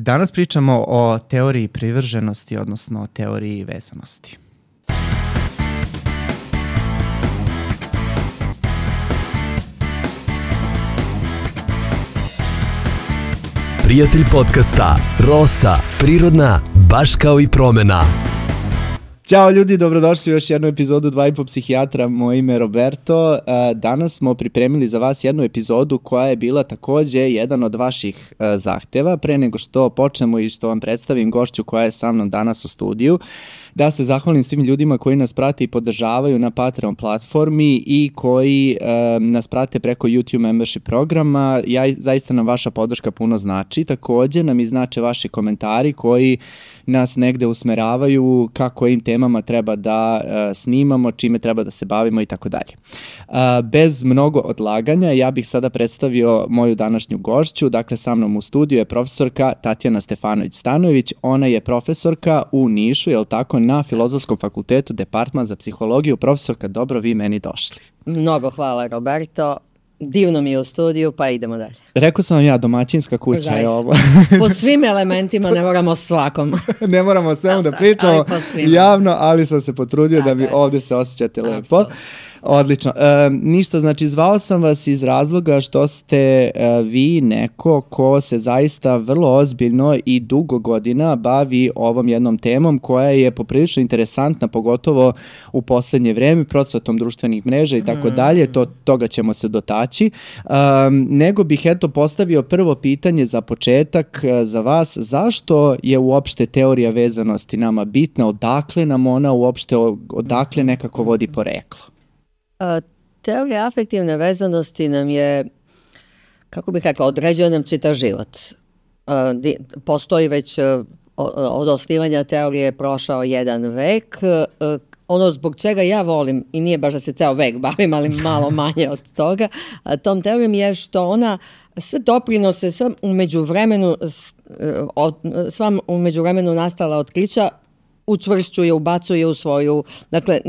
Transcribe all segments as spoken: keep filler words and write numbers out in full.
Danas pričamo o teoriji privrženosti, odnosno o teoriji vezanosti. Prijatelj podcasta Rosa, prirodna, baš kao i promena. Ćao ljudi, dobrodošli u još jednu epizodu Dva i po psihijatra, moje ime je Roberto. Danas smo pripremili za vas jednu epizodu koja je bila takođe jedan od vaših zahteva. Pre nego što počnemo i što vam predstavim gošću koja je sa mnom danas u studiju, da se zahvalim svim ljudima koji nas prate i podržavaju na Patreon platformi i koji e, nas prate preko YouTube membership programa. Ja, zaista nam vaša podrška puno znači. Takođe nam i znače vaši komentari koji nas negde usmeravaju kako im temama treba da e, snimamo, čime treba da se bavimo i tako dalje. Bez mnogo odlaganja, ja bih sada predstavio moju današnju gošću. Dakle, sa mnom u studiju je profesorka Tatjana Stefanović-Stanojević. Ona je profesorka u Nišu, je li tako, na Filozofskom fakultetu, departman za psihologiju. Profesorka, dobro vi meni došli. Mnogo hvala, Roberto. Divno mi je u studiju, pa idemo dalje. Rekao sam vam ja, domaćinska kuća Zaista. Je ovo. Po svim elementima, ne moramo svakom. Ne moramo svemu da, da pričamo ali javno, ali sam se potrudio tako da mi je. Ovdje se osjećate lepo. Absolutno. Odlično. E, ništa, znači zvao sam vas iz razloga što ste e, vi neko ko se zaista vrlo ozbiljno i dugo godina bavi ovom jednom temom koja je poprilično interesantna, pogotovo u poslednje vreme, procvatom društvenih mreža i tako dalje, to, toga ćemo se dotaći. E, nego bih eto postavio prvo pitanje za početak e, za vas, zašto je uopšte teorija vezanosti nama bitna, odakle nam ona uopšte, odakle nekako vodi poreklo? Teorija afektivne vezanosti nam je, kako bih rekla, određuje nam čitav život. Postoji već, od osnivanja teorije je prošao jedan vek. Ono zbog čega ja volim, i nije baš da se ceo vek bavim, ali malo manje od toga, tom teorijom je što ona sve doprinose, sve u međuvremenu, sva u međuvremenu nastala otkrića učvršćuje, ubacuje u svoju, dakle,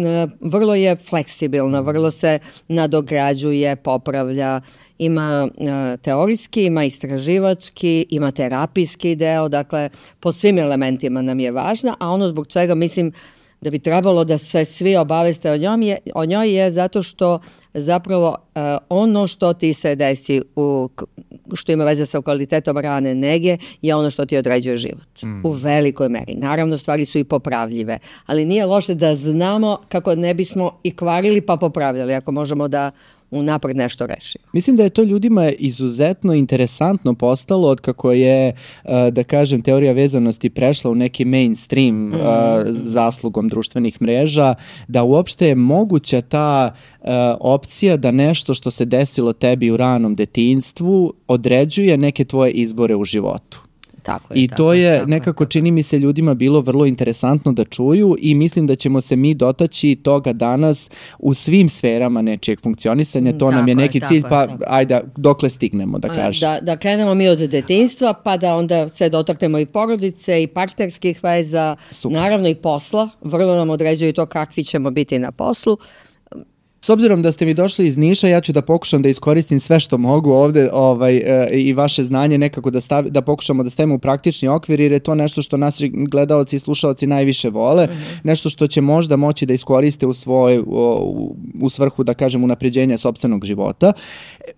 vrlo je fleksibilna, vrlo se nadograđuje, popravlja, ima teorijski, ima istraživački, ima terapijski deo, dakle, po svim elementima nam je važna, a ono zbog čega mislim da bi trebalo da se svi obaveste o njoj je, o njoj je zato što zapravo uh, ono što ti se desi, u, što ima veze sa kvalitetom rane nege, je ono što ti određuje život. Mm. U velikoj meri. Naravno, stvari su i popravljive, ali nije loše da znamo kako ne bismo i kvarili pa popravljali, ako možemo da unapred nešto rešimo. Mislim da je to ljudima izuzetno interesantno postalo od kako je, da kažem, teorija vezanosti prešla u neki mainstream mm. zaslugom društvenih mreža, da uopšte je moguća ta opcija da nešto što se desilo tebi u ranom detinjstvu određuje neke tvoje izbore u životu. Tako je, I tako, to je tako, nekako tako. Čini mi se ljudima bilo vrlo interesantno da čuju i mislim da ćemo se mi dotaći toga danas u svim sferama nečijeg funkcionisanja. To tako nam je neki je, cilj, pa je, ajde dokle stignemo da kažem. Da, da krenemo mi od detinjstva, pa da onda se dotaknemo i porodice i partnerskih veza, super. Naravno i posla. Vrlo nam određuju to kakvi ćemo biti na poslu. S obzirom da ste mi došli iz Niša, ja ću da pokušam da iskoristim sve što mogu ovde ovaj, e, i vaše znanje nekako da, stavi, da pokušamo da stavimo u praktični okvir, jer je to nešto što naši gledaoci i slušaoci najviše vole, mm-hmm. nešto što će možda moći da iskoriste u svoje, u, u svrhu, da kažem, unapređenja sopstvenog života.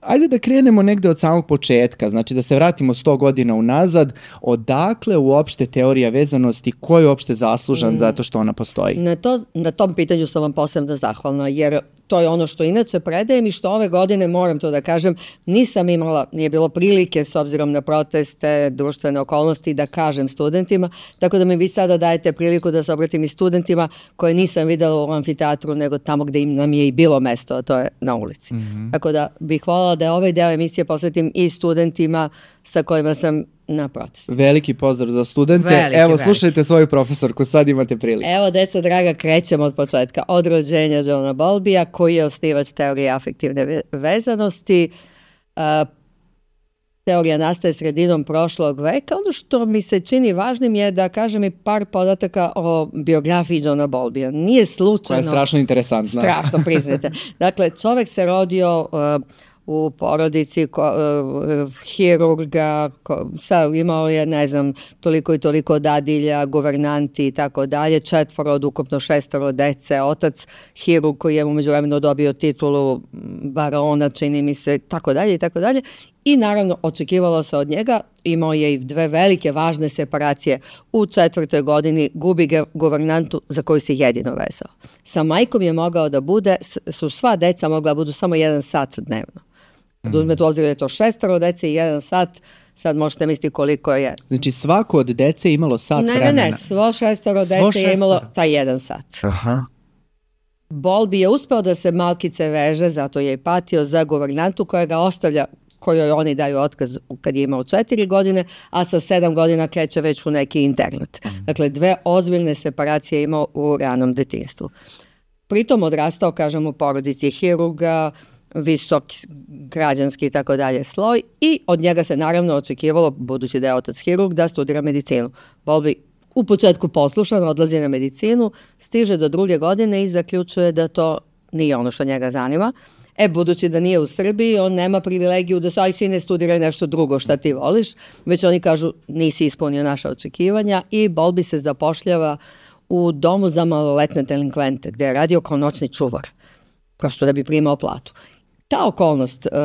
Ajde da krenemo negde od samog početka, znači da se vratimo sto godina unazad, odakle uopšte teorija vezanosti, ko je uopšte zaslužan mm. zato što ona postoji? Na, to, na tom pitanju sam vam posebno zahvalna, jer to je ono što inače predajem i što ove godine, moram to da kažem, nisam imala, nije bilo prilike s obzirom na proteste, društvene okolnosti da kažem studentima, tako da mi vi sada dajete priliku da se obratim i studentima koje nisam videla u amfiteatru, nego tamo gde im nam je i bilo mesto, a to je na ulici. Mm-hmm. Tako da bih voljela da ovaj deo emisije posvetim i studentima sa kojima sam na protestu. Veliki pozdrav za studente. Veliki, Evo, veliki. Slušajte svoju profesorku, sad imate priliku. Evo, deco draga, krećemo od početka. Od rođenja Johna Bowlbya, koji je osnivač teorije afektivne vezanosti. Uh, teorija nastaje sredinom prošlog veka. Ono što mi se čini važnim je da kažem i par podataka o biografiji Johna Bowlbya. Nije slučajno... Koja je strašno interesantna. Strašno, priznajte. Dakle, čovek se rodio... Uh, u porodici ko, uh, hirurga, ko, sa, imao je, ne znam, toliko i toliko dadilja, guvernanti i tako dalje, četvoro od ukupno šestoro dece, otac hirurg koji je umeđu vremenu dobio titulu barona, čini mi se, tako dalje i tako dalje. I naravno očekivalo se od njega, imao je i dve velike važne separacije. U četvrtoj godini gubi guvernantu za koju se jedino vezao. Sa majkom je mogao da bude, su sva deca mogla da budu samo jedan sat dnevno. Da uzmete u obzir da je to šestoro dece i jedan sat, sad možete misliti koliko je. Znači svako od dece imalo sat ne, vremena? Ne, ne, svo šestoro dece svo šestoro. je imalo taj jedan sat. Aha. Bolbi je uspeo da se malkice veže, zato je i patio za guvernantu koja ga ostavlja, kojoj oni daju otkaz kad je imao četiri godine, a sa sedam godina kreće već u neki internet. Dakle, dve ozbiljne separacije imao u ranom detinjstvu. Pritom odrastao, kažem, u porodici hirurga, visok građanski i tako dalje sloj i od njega se naravno očekivalo, budući da je otac hirurg, da studira medicinu. Bolbi u početku poslušan, odlazi na medicinu, stiže do druge godine i zaključuje da to nije ono što njega zanima. E, budući da nije u Srbiji, on nema privilegiju da se, aj sine, studiraj nešto drugo šta ti voliš, već oni kažu nisi ispunio naša očekivanja i Bolbi se zapošljava u domu za maloletne delinkvente, gde je radio kao noćni čuvar, prosto da bi primao platu. Ta okolnost uh,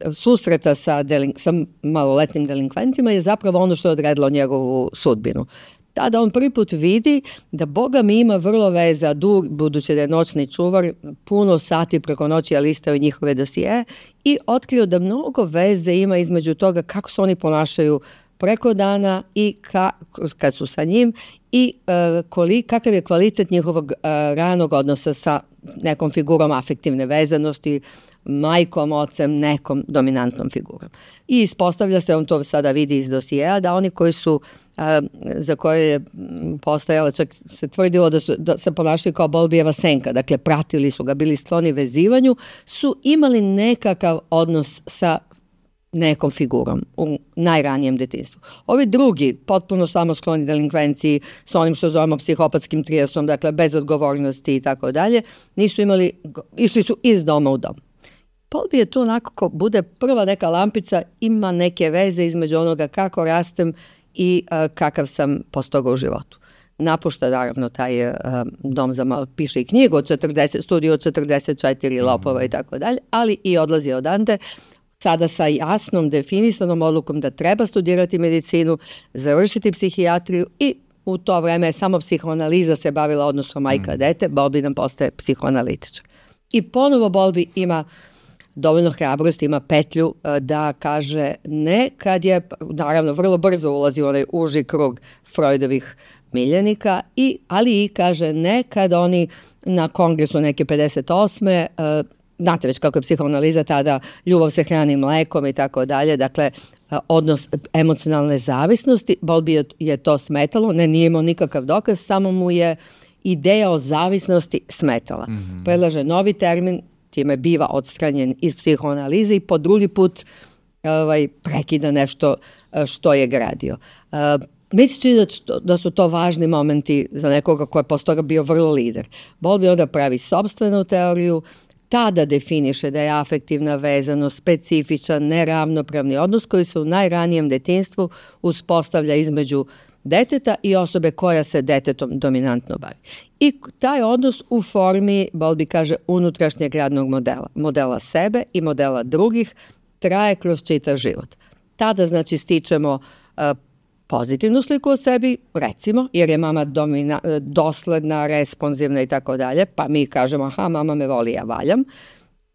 uh, susreta sa, delink, sa maloletnim delinkventima je zapravo ono što je odredilo njegovu sudbinu. Tada on prvi put vidi da Boga mi ima vrlo veza, dug, budući da je noćni čuvar, puno sati preko noći je listao njihove dosije i otkrio da mnogo veze ima između toga kako se oni ponašaju preko dana i ka, kad su sa njim i uh, koli, kakav je kvalitet njihovog uh, ranog odnosa sa nekom figurom afektivne vezanosti, majkom, ocem, nekom dominantnom figurom. I ispostavlja se, on to sada vidi iz dosijeja, da oni koji su, a, za koje je postojalo, čak se tvrdilo da, su, da se ponašaju kao Bolbijeva senka, dakle pratili su ga, bili skloni vezivanju, su imali nekakav odnos sa nekom figurom u najranijem detinjstvu. Ovi drugi, potpuno samoskloni delinkvenciji sa onim što zovemo psihopatskim trijasom, dakle bez odgovornosti i tako dalje, nisu imali, išli su iz doma u dom. Bolbi je tu onako ko bude prva neka lampica, ima neke veze između onoga kako rastem i uh, kakav sam postoga u životu. Napušta naravno taj uh, dom za malo, piše i knjigu od četrdeset, studiju od četrdeset četiri lopova i tako dalje, ali i odlazi odande, sada sa jasnom definisanom odlukom da treba studirati medicinu, završiti psihijatriju i u to vreme samo psihoanaliza se bavila odnosom majka-dete, Bolbi nam postaje psihoanalitičar. I ponovo Bolbi ima dovoljno hrabrosti, ima petlju da kaže ne kad je, naravno vrlo brzo ulazi u onaj uži krug Freudovih miljenika, i, ali i kaže ne kad oni na kongresu neke pedeset osme znate već kako je psihoanaliza tada, ljubav se hrani mlekom i tako dalje, dakle odnos emocionalne zavisnosti, Bolbi je to smetalo, ne, nije imao nikakav dokaz, samo mu je ideja o zavisnosti smetala. Mm-hmm. Predlaže novi termin, time biva odstranjen iz psihoanalize i po drugi put ovaj, prekida nešto što je gradio. Uh, Mislići da, da su to važni momenti za nekoga ko je posle toga bio vrlo lider. Bolbi onda pravi sopstvenu teoriju, tada definiše da je afektivna vezanost specifičan, neravnopravni odnos koji se u najranijem detinjstvu uspostavlja između deteta i osobe koja se detetom dominantno bavi. I taj odnos u formi, Bolbi kaže, unutrašnjeg radnog modela, modela sebe i modela drugih, traje kroz čitav život. Tada, znači, stičemo uh, pozitivnu sliku o sebi, recimo, jer je mama domina, dosledna, responsivna i tako dalje, pa mi kažemo, aha, mama me voli, ja valjam.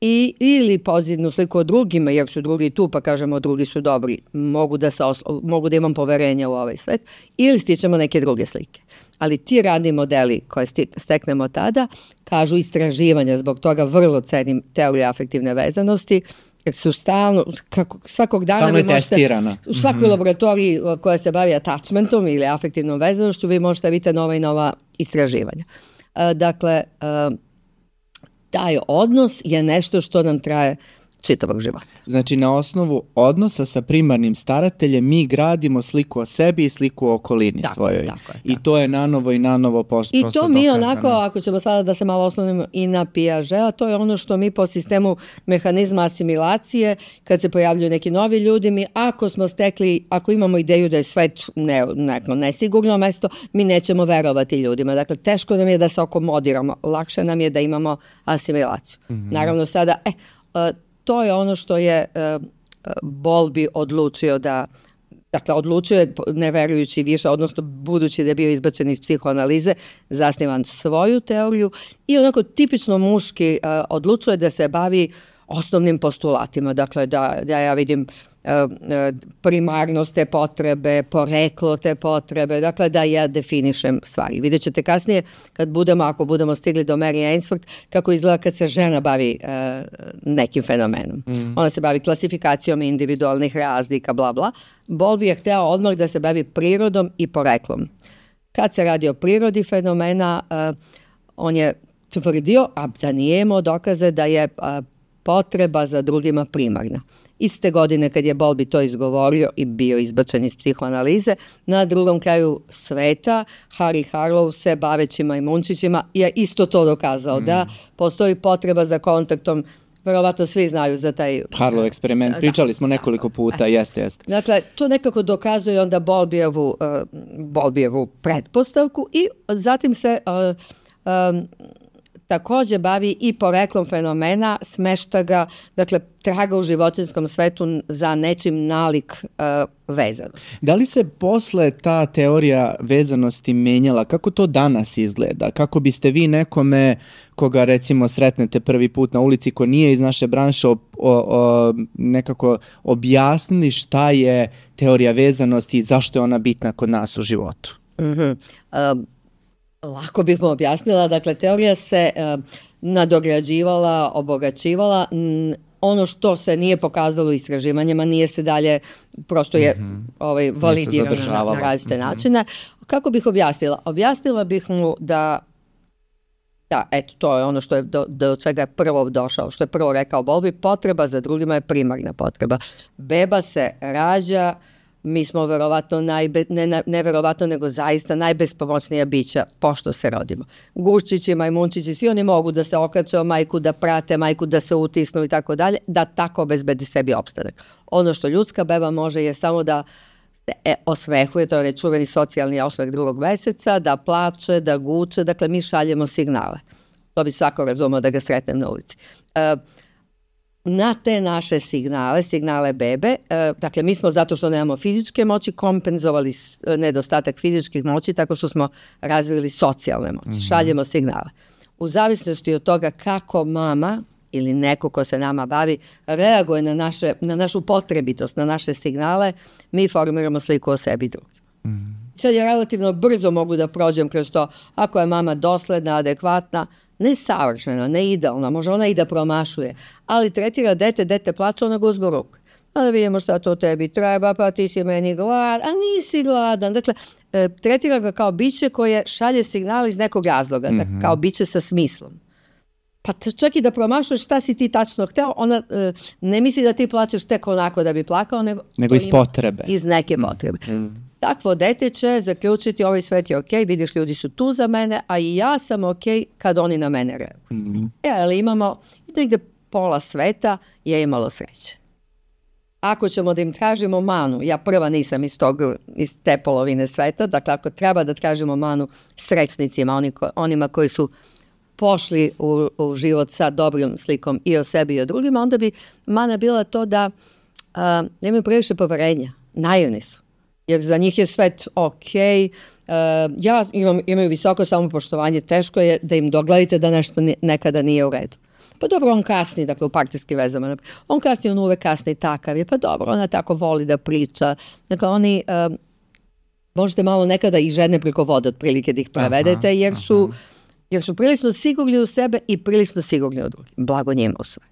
I, ili pozitivnu sliku o drugima, jer su drugi tu, pa kažemo drugi su dobri, mogu da, se oslo, mogu da imam poverenja u ovaj svet, ili stičemo neke druge slike. Ali ti radni modeli koje steknemo tada, kažu istraživanja, zbog toga vrlo cenim teoriju afektivne vezanosti, jer su stalno, kako, svakog dana stalno vi možete, testirana. U svakoj mm-hmm. laboratoriji koja se bavi attachmentom ili afektivnom vezanošću, vi možete vidjeti nova i nova istraživanja. Uh, dakle, uh, taj odnos je nešto što nam traje čitavog života. Znači, na osnovu odnosa sa primarnim starateljem mi gradimo sliku o sebi i sliku o okolini tako, svojoj. Tako je, tako. I to je nanovo i nanovo post, I prosto to mi dokazano. onako, ako ćemo sada da se malo oslonimo i na Piageta, to je ono što mi po sistemu mehanizma asimilacije, kad se pojavljuju neki novi ljudi, mi ako smo stekli, ako imamo ideju da je svet ne, neko nesigurno mesto, mi nećemo verovati ljudima. Dakle, teško nam je da se akomodiramo, lakše nam je da imamo asimilaciju. Mm-hmm. Naravno sada, e, to je ono što je Bowlby odlučio da, dakle, odlučio je, ne verujući više, odnosno budući da je bio izbačen iz psihoanalize, zasnivan svoju teoriju i onako tipično muški odlučuje da se bavi osnovnim postulatima, dakle da, da ja vidim uh, primarnost te potrebe, poreklo te potrebe, dakle da ja definišem stvari. Vidjet ćete kasnije kad budemo, ako budemo stigli do Mary Ainsworth, kako izgleda kad se žena bavi uh, nekim fenomenom. Mm. Ona se bavi klasifikacijom individualnih razlika, bla bla. Bowlby je hteo odmah da se bavi prirodom i poreklom. Kad se radi o prirodi fenomena, uh, on je tvrdio, a da nije imao dokaze da je uh, potreba za drugima primarna. Iste godine kad je Bowlby to izgovorio i bio izbačen iz psihoanalize, na drugom kraju sveta Harry Harlow se baveći majmunčićima je isto to dokazao, mm. da postoji potreba za kontaktom. Verovatno svi znaju za taj Harlow eksperiment, pričali da, smo nekoliko puta, e. jeste, jeste. Dakle, to nekako dokazuje onda Bowlbyevu, uh, Bowlbyevu pretpostavku i zatim se uh, um, takođe bavi i poreklom fenomena, smešta ga, dakle, traga u životinjskom svetu za nečim nalik uh, vezanost. Da li se posle ta teorija vezanosti menjala? Kako to danas izgleda? Kako biste vi nekome, koga recimo sretnete prvi put na ulici, ko nije iz naše branše, o, o, o, nekako objasnili šta je teorija vezanosti i zašto je ona bitna kod nas u životu? Mhm. Um, Lako bih mu objasnila, dakle, teorija se uh, nadograđivala, obogaćivala, n, ono što se nije pokazalo istraživanjima, nije se dalje, prosto je mm-hmm. ovaj, validirano na, na različite mm-hmm. načine. Kako bih objasnila? Objasnila bih mu da, da, eto, to je ono što je do, do čega je prvo došao, što je prvo rekao Bowlby, potreba za drugima je primarna potreba. Beba se rađa, mi smo verovatno, najbe, ne, ne verovatno, nego zaista najbespomoćnija bića pošto se rodimo. Guščići, majmunčići, svi oni mogu da se okače o majku, da prate majku, da se utisnu i tako dalje, da tako obezbedi sebi opstanak. Ono što ljudska beba može je samo da se e, osmehuje, to je čuveni socijalni osmeh drugog meseca, da plače, da guče, dakle mi šaljemo signale. To bi svako razumio da ga sretnem na ulici. E, Na te naše signale, signale bebe, e, dakle mi smo zato što nemamo fizičke moći kompenzovali nedostatak fizičkih moći tako što smo razvili socijalne moći, mm-hmm. šaljemo signale. U zavisnosti od toga kako mama ili neko ko se nama bavi reaguje na, naše, na našu potrebitost, na naše signale, mi formiramo sliku o sebi i drugim. Mm-hmm. Sad ja relativno brzo mogu da prođem kroz to, ako je mama dosledna, adekvatna, ne savršena, ne idealna, može ona i da promašuje, ali tretira dete, dete plače, ona ga uzme u ruku. A da vidimo šta to tebi treba, pa ti si meni gladan, a nisi gladan. Dakle, e, tretira ga kao biće koje šalje signal iz nekog razloga, mm-hmm. dakle, kao biće sa smislom. Pa čak i da promašuješ šta si ti tačno hteo, ona e, ne misli da ti plačeš tek onako da bi plakao, nego, nego iz potrebe. Iz neke potrebe. Mm-hmm. Takvo dete će zaključiti ovaj svet je ok, vidiš ljudi su tu za mene, a i ja sam ok kad oni na mene reaguju. Mm-hmm. E, ali imamo negde pola sveta je imalo sreće. Ako ćemo da im tražimo manu, ja prva nisam iz, tog, iz te polovine sveta, dakle ako treba da tražimo manu srećnicima, oni ko, onima koji su pošli u, u život sa dobrom slikom i o sebi i o drugima, onda bi mana bila to da a, nemaju previše poverenja, naivni su. Jer za njih je svet ok, uh, ja imam, imaju visoko samopoštovanje, teško je da im dogledite da nešto nekada nije u redu. Pa dobro, on kasni, dakle u partijskim vezama, on kasni, on uvek kasni, takav je, pa dobro, ona tako voli da priča. Dakle, oni, uh, možete malo nekada i žene preko vode otprilike da ih prevedete, jer su, jer su prilično sigurni u sebe i prilično sigurni u drugim. Blago njima u stvari.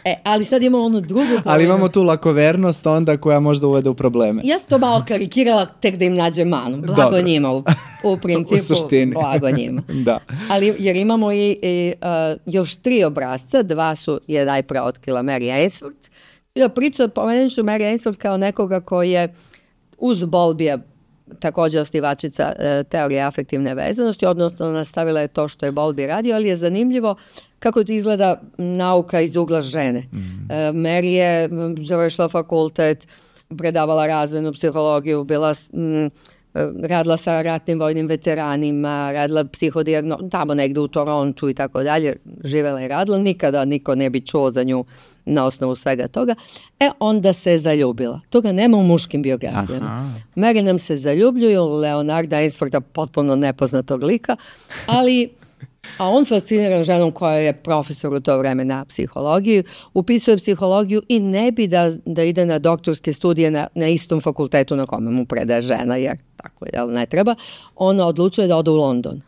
E, ali sad imamo onu drugu polovinu. Ali imamo tu lakovernost onda koja možda uvede u probleme. Ja sam to malo karikirala tek da im nađe manu. Blago Dobro. njima u, u principu. U suštini. Blago njima. Da. Ali jer imamo i, i uh, još tri obrazca, dva su je najpre otkrila Mary Ainsworth. Ja pričam, pomenut ću Mary Ainsworth kao nekoga koji je uz Bowlbya također osnivačica e, teorije afektivne vezanosti, odnosno nastavila je to što je Bowlby radio, ali je zanimljivo kako to izgleda nauka iz ugla žene. Mm. E, Mary je završila fakultet, predavala razvojnu psihologiju, bila m, radila sa ratnim vojnim veteranima, radila psihodijagno, tamo negde u Torontu i tako dalje, živela i radila, nikada niko ne bi čuo za nju na osnovu svega toga. E, onda se zaljubila. Toga nema u muškim biografijama. Mary nam se zaljubljuju, Leonarda Ainswortha, potpuno nepoznatog lika, ali a on fasciniran ženom koja je profesor u to vreme na psihologiji, upisuje psihologiju i ne bi da, da ide na doktorske studije na, na istom fakultetu na kome mu predaje žena, jer tako je, ne treba. Ona odlučuje da ode u London.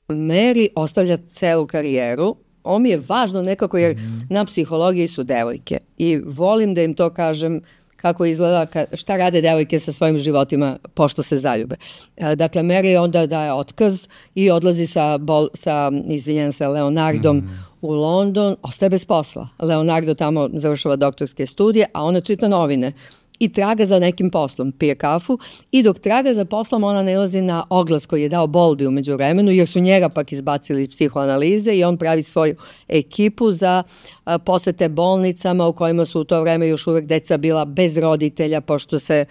Mary ostavlja celu karijeru. Ovo mi je važno nekako jer mm-hmm. na psihologiji su devojke i volim da im to kažem kako izgleda, ka, šta rade devojke sa svojim životima pošto se zaljube. E, dakle, Mary onda daje otkaz i odlazi sa, bol, sa izvinjam se, Leonardom mm. u London, ostaje bez posla. Leonardo tamo završava doktorske studije, a ona čita novine i traga za nekim poslom, pije kafu i dok traga za poslom ona nailazi na oglas koji je dao Bowlby u međuvremenu jer su njega pak izbacili iz psihoanalize i on pravi svoju ekipu za a, posete bolnicama u kojima su u to vreme još uvek deca bila bez roditelja pošto se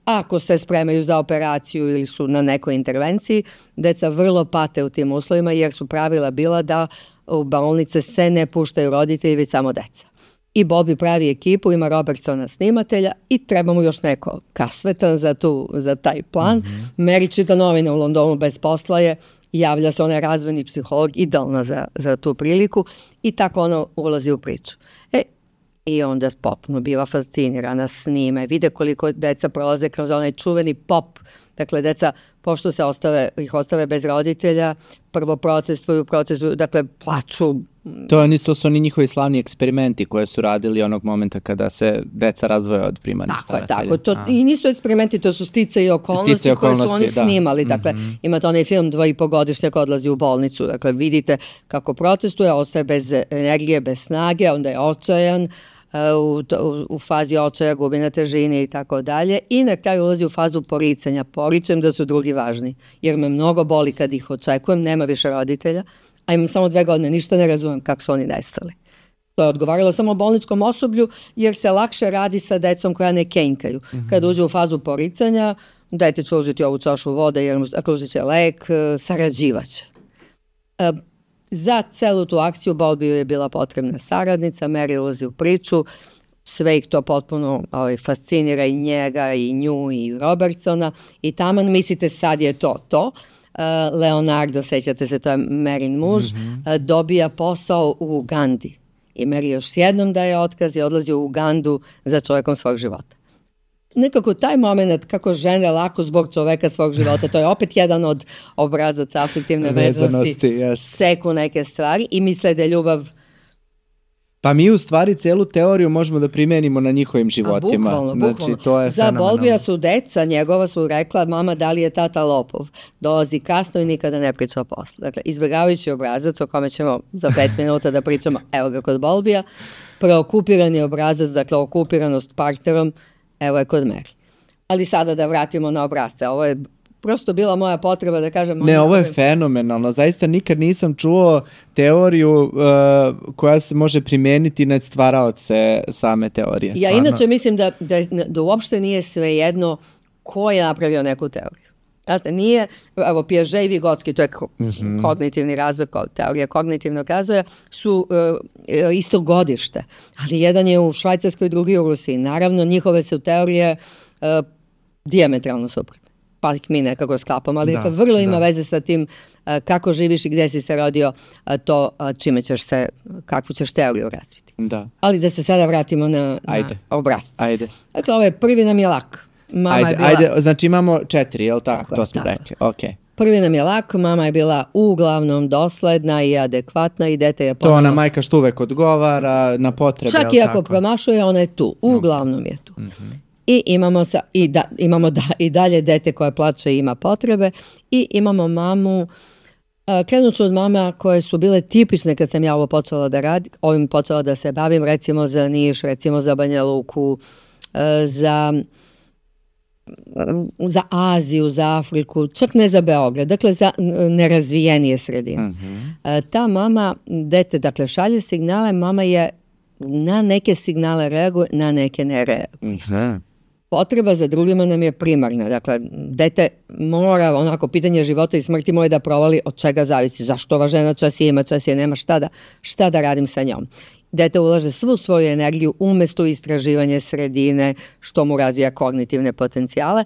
ako se spremaju za operaciju ili su na nekoj intervenciji, deca vrlo pate u tim uslovima jer su pravila bila da u bolnice se ne puštaju roditelji već samo deca. I Bowlby pravi ekipu, ima Robertsona snimatelja i treba mu još neko kasvetan za, tu, za taj plan. Mm-hmm. Mary čita novine u Londonu bez posla je, javlja se, ona je razvojni psiholog, idealna za, za tu priliku i tako ona ulazi u priču. E, i onda potpuno biva fascinirana, snime, vide koliko deca prolaze kroz onaj čuveni pop. Dakle, deca, pošto se ostave, ih ostave bez roditelja, prvo protestuju, protestuju, dakle, plaču. To je isto su oni njihovi slavni eksperimenti koje su radili onog momenta kada se deca razdvoje od primarnih staratelja. Tako, tako. To, i nisu eksperimenti, to su stice i okolnosti, stice i okolnosti koje su oni da. snimali. Dakle, mm-hmm. imate onaj film dva i po godišnjak odlazi u bolnicu. Dakle, vidite kako protestuje, ostaje bez energije, bez snage, onda je očajan, U, u, u fazi očaja, gubi na težini i tako dalje i na kraju ulazi u fazu poricanja. Poričem da su drugi važni, jer me mnogo boli kad ih očekujem, nema više roditelja, a imam samo dve godine, ništa ne razumem kako su oni nestali. To je odgovaralo samo bolničkom osoblju, jer se lakše radi sa decom koja ne kenjkaju. Mm-hmm. Kad uđe u fazu poricanja, dajte će uzeti ovu čašu vode, jer ako uzet će lek, sarađivaće. E, Za celu tu akciju Bowlby je bila potrebna saradnica, Mary ulazi u priču, sve ih to potpuno ovaj, fascinira i njega, i nju, i Robertsona i taman mislite sad je to to. Uh, Leonardo, sećate se, to je Maryn muž, mm-hmm. uh, dobija posao u Ugandi i Mary još jednom daje otkaz i odlazi u Ugandu za čovjekom svog života. Nekako taj moment kako žene lako zbog čoveka svog života, to je opet jedan od obrazaca afektivne vezanosti, yes. seku neke stvari i misle da je ljubav. Pa mi u stvari celu teoriju možemo da primenimo na njihovim životima. A, bukvalno, znači, bukvalno. To je Za Bowlbya su deca, njegova su rekla, mama, da li je tata lopov? Dolazi kasno i nikada ne priča o poslu. Dakle, izbjegavajući obrazac o kome ćemo za pet minuta da pričamo, evo ga kod Bowlbya, preokupirani obrazac, dakle, okupiranost partnerom, evo je kod Mary. Ali sada da vratimo na obrazce. Ovo je prosto bila moja potreba da kažem... Ne, ovo je fenomenalno. Zaista nikad nisam čuo teoriju uh, koja se može primijeniti na stvaraoce same teorije. Ja stvarno. Inače mislim da, da, da uopšte nije svejedno ko je napravio neku teoriju. Znate, nije, evo, Piaget i Vygotsky, to je mm-hmm. kognitivni razvoj, teorija kognitivnog razvoja, su uh, isto godište, ali jedan je u Švajcarskoj, drugi u Rusiji. Naravno, njihove su teorije uh, dijametralno suprotne, pa ih mi nekako sklapamo, ali da, vrlo ima da. veze sa tim uh, kako živiš i gde si se rodio, uh, to uh, čime ćeš se, kakvu ćeš teoriju razviti. Da. Ali da se sada vratimo na, ajde. na obrazce. Ajde. Dakle, ovaj prvi nam je lak. Mama ajde, je bila... ajde, znači imamo četiri, je li tako? tako to smo tako. rekli, okej. Okay. Prvi nam je lak, mama je bila uglavnom dosledna i adekvatna i dete je To ponovno... ona majka što uvek odgovara na potrebe, Čak i ako promašuje, ona je tu. Uglavnom je tu. Mm-hmm. I imamo, sa, i, da, imamo da, i dalje dete koje plače i ima potrebe i imamo mamu, uh, krenut ću od mama koje su bile tipične kad sam ja ovo počela da radim, ovim počela da se bavim, recimo za Niš, recimo za Banja Luku, uh, za... za Aziju, za Afriku, čak ne za Beograd, dakle za nerazvijenije sredine. Mm-hmm. Ta mama, dete, dakle šalje signale, mama je na neke signale reaguje, na neke ne reaguje. Mm-hmm. Potreba za drugima nam je primarna, dakle dete mora, onako pitanje života i smrti moje da provali od čega zavisi, zašto ova žena čas je ima, čas je nema, šta da, šta da radim sa njom. Dete ulaže svu svoju energiju umjesto istraživanje sredine, što mu razvija kognitivne potencijale.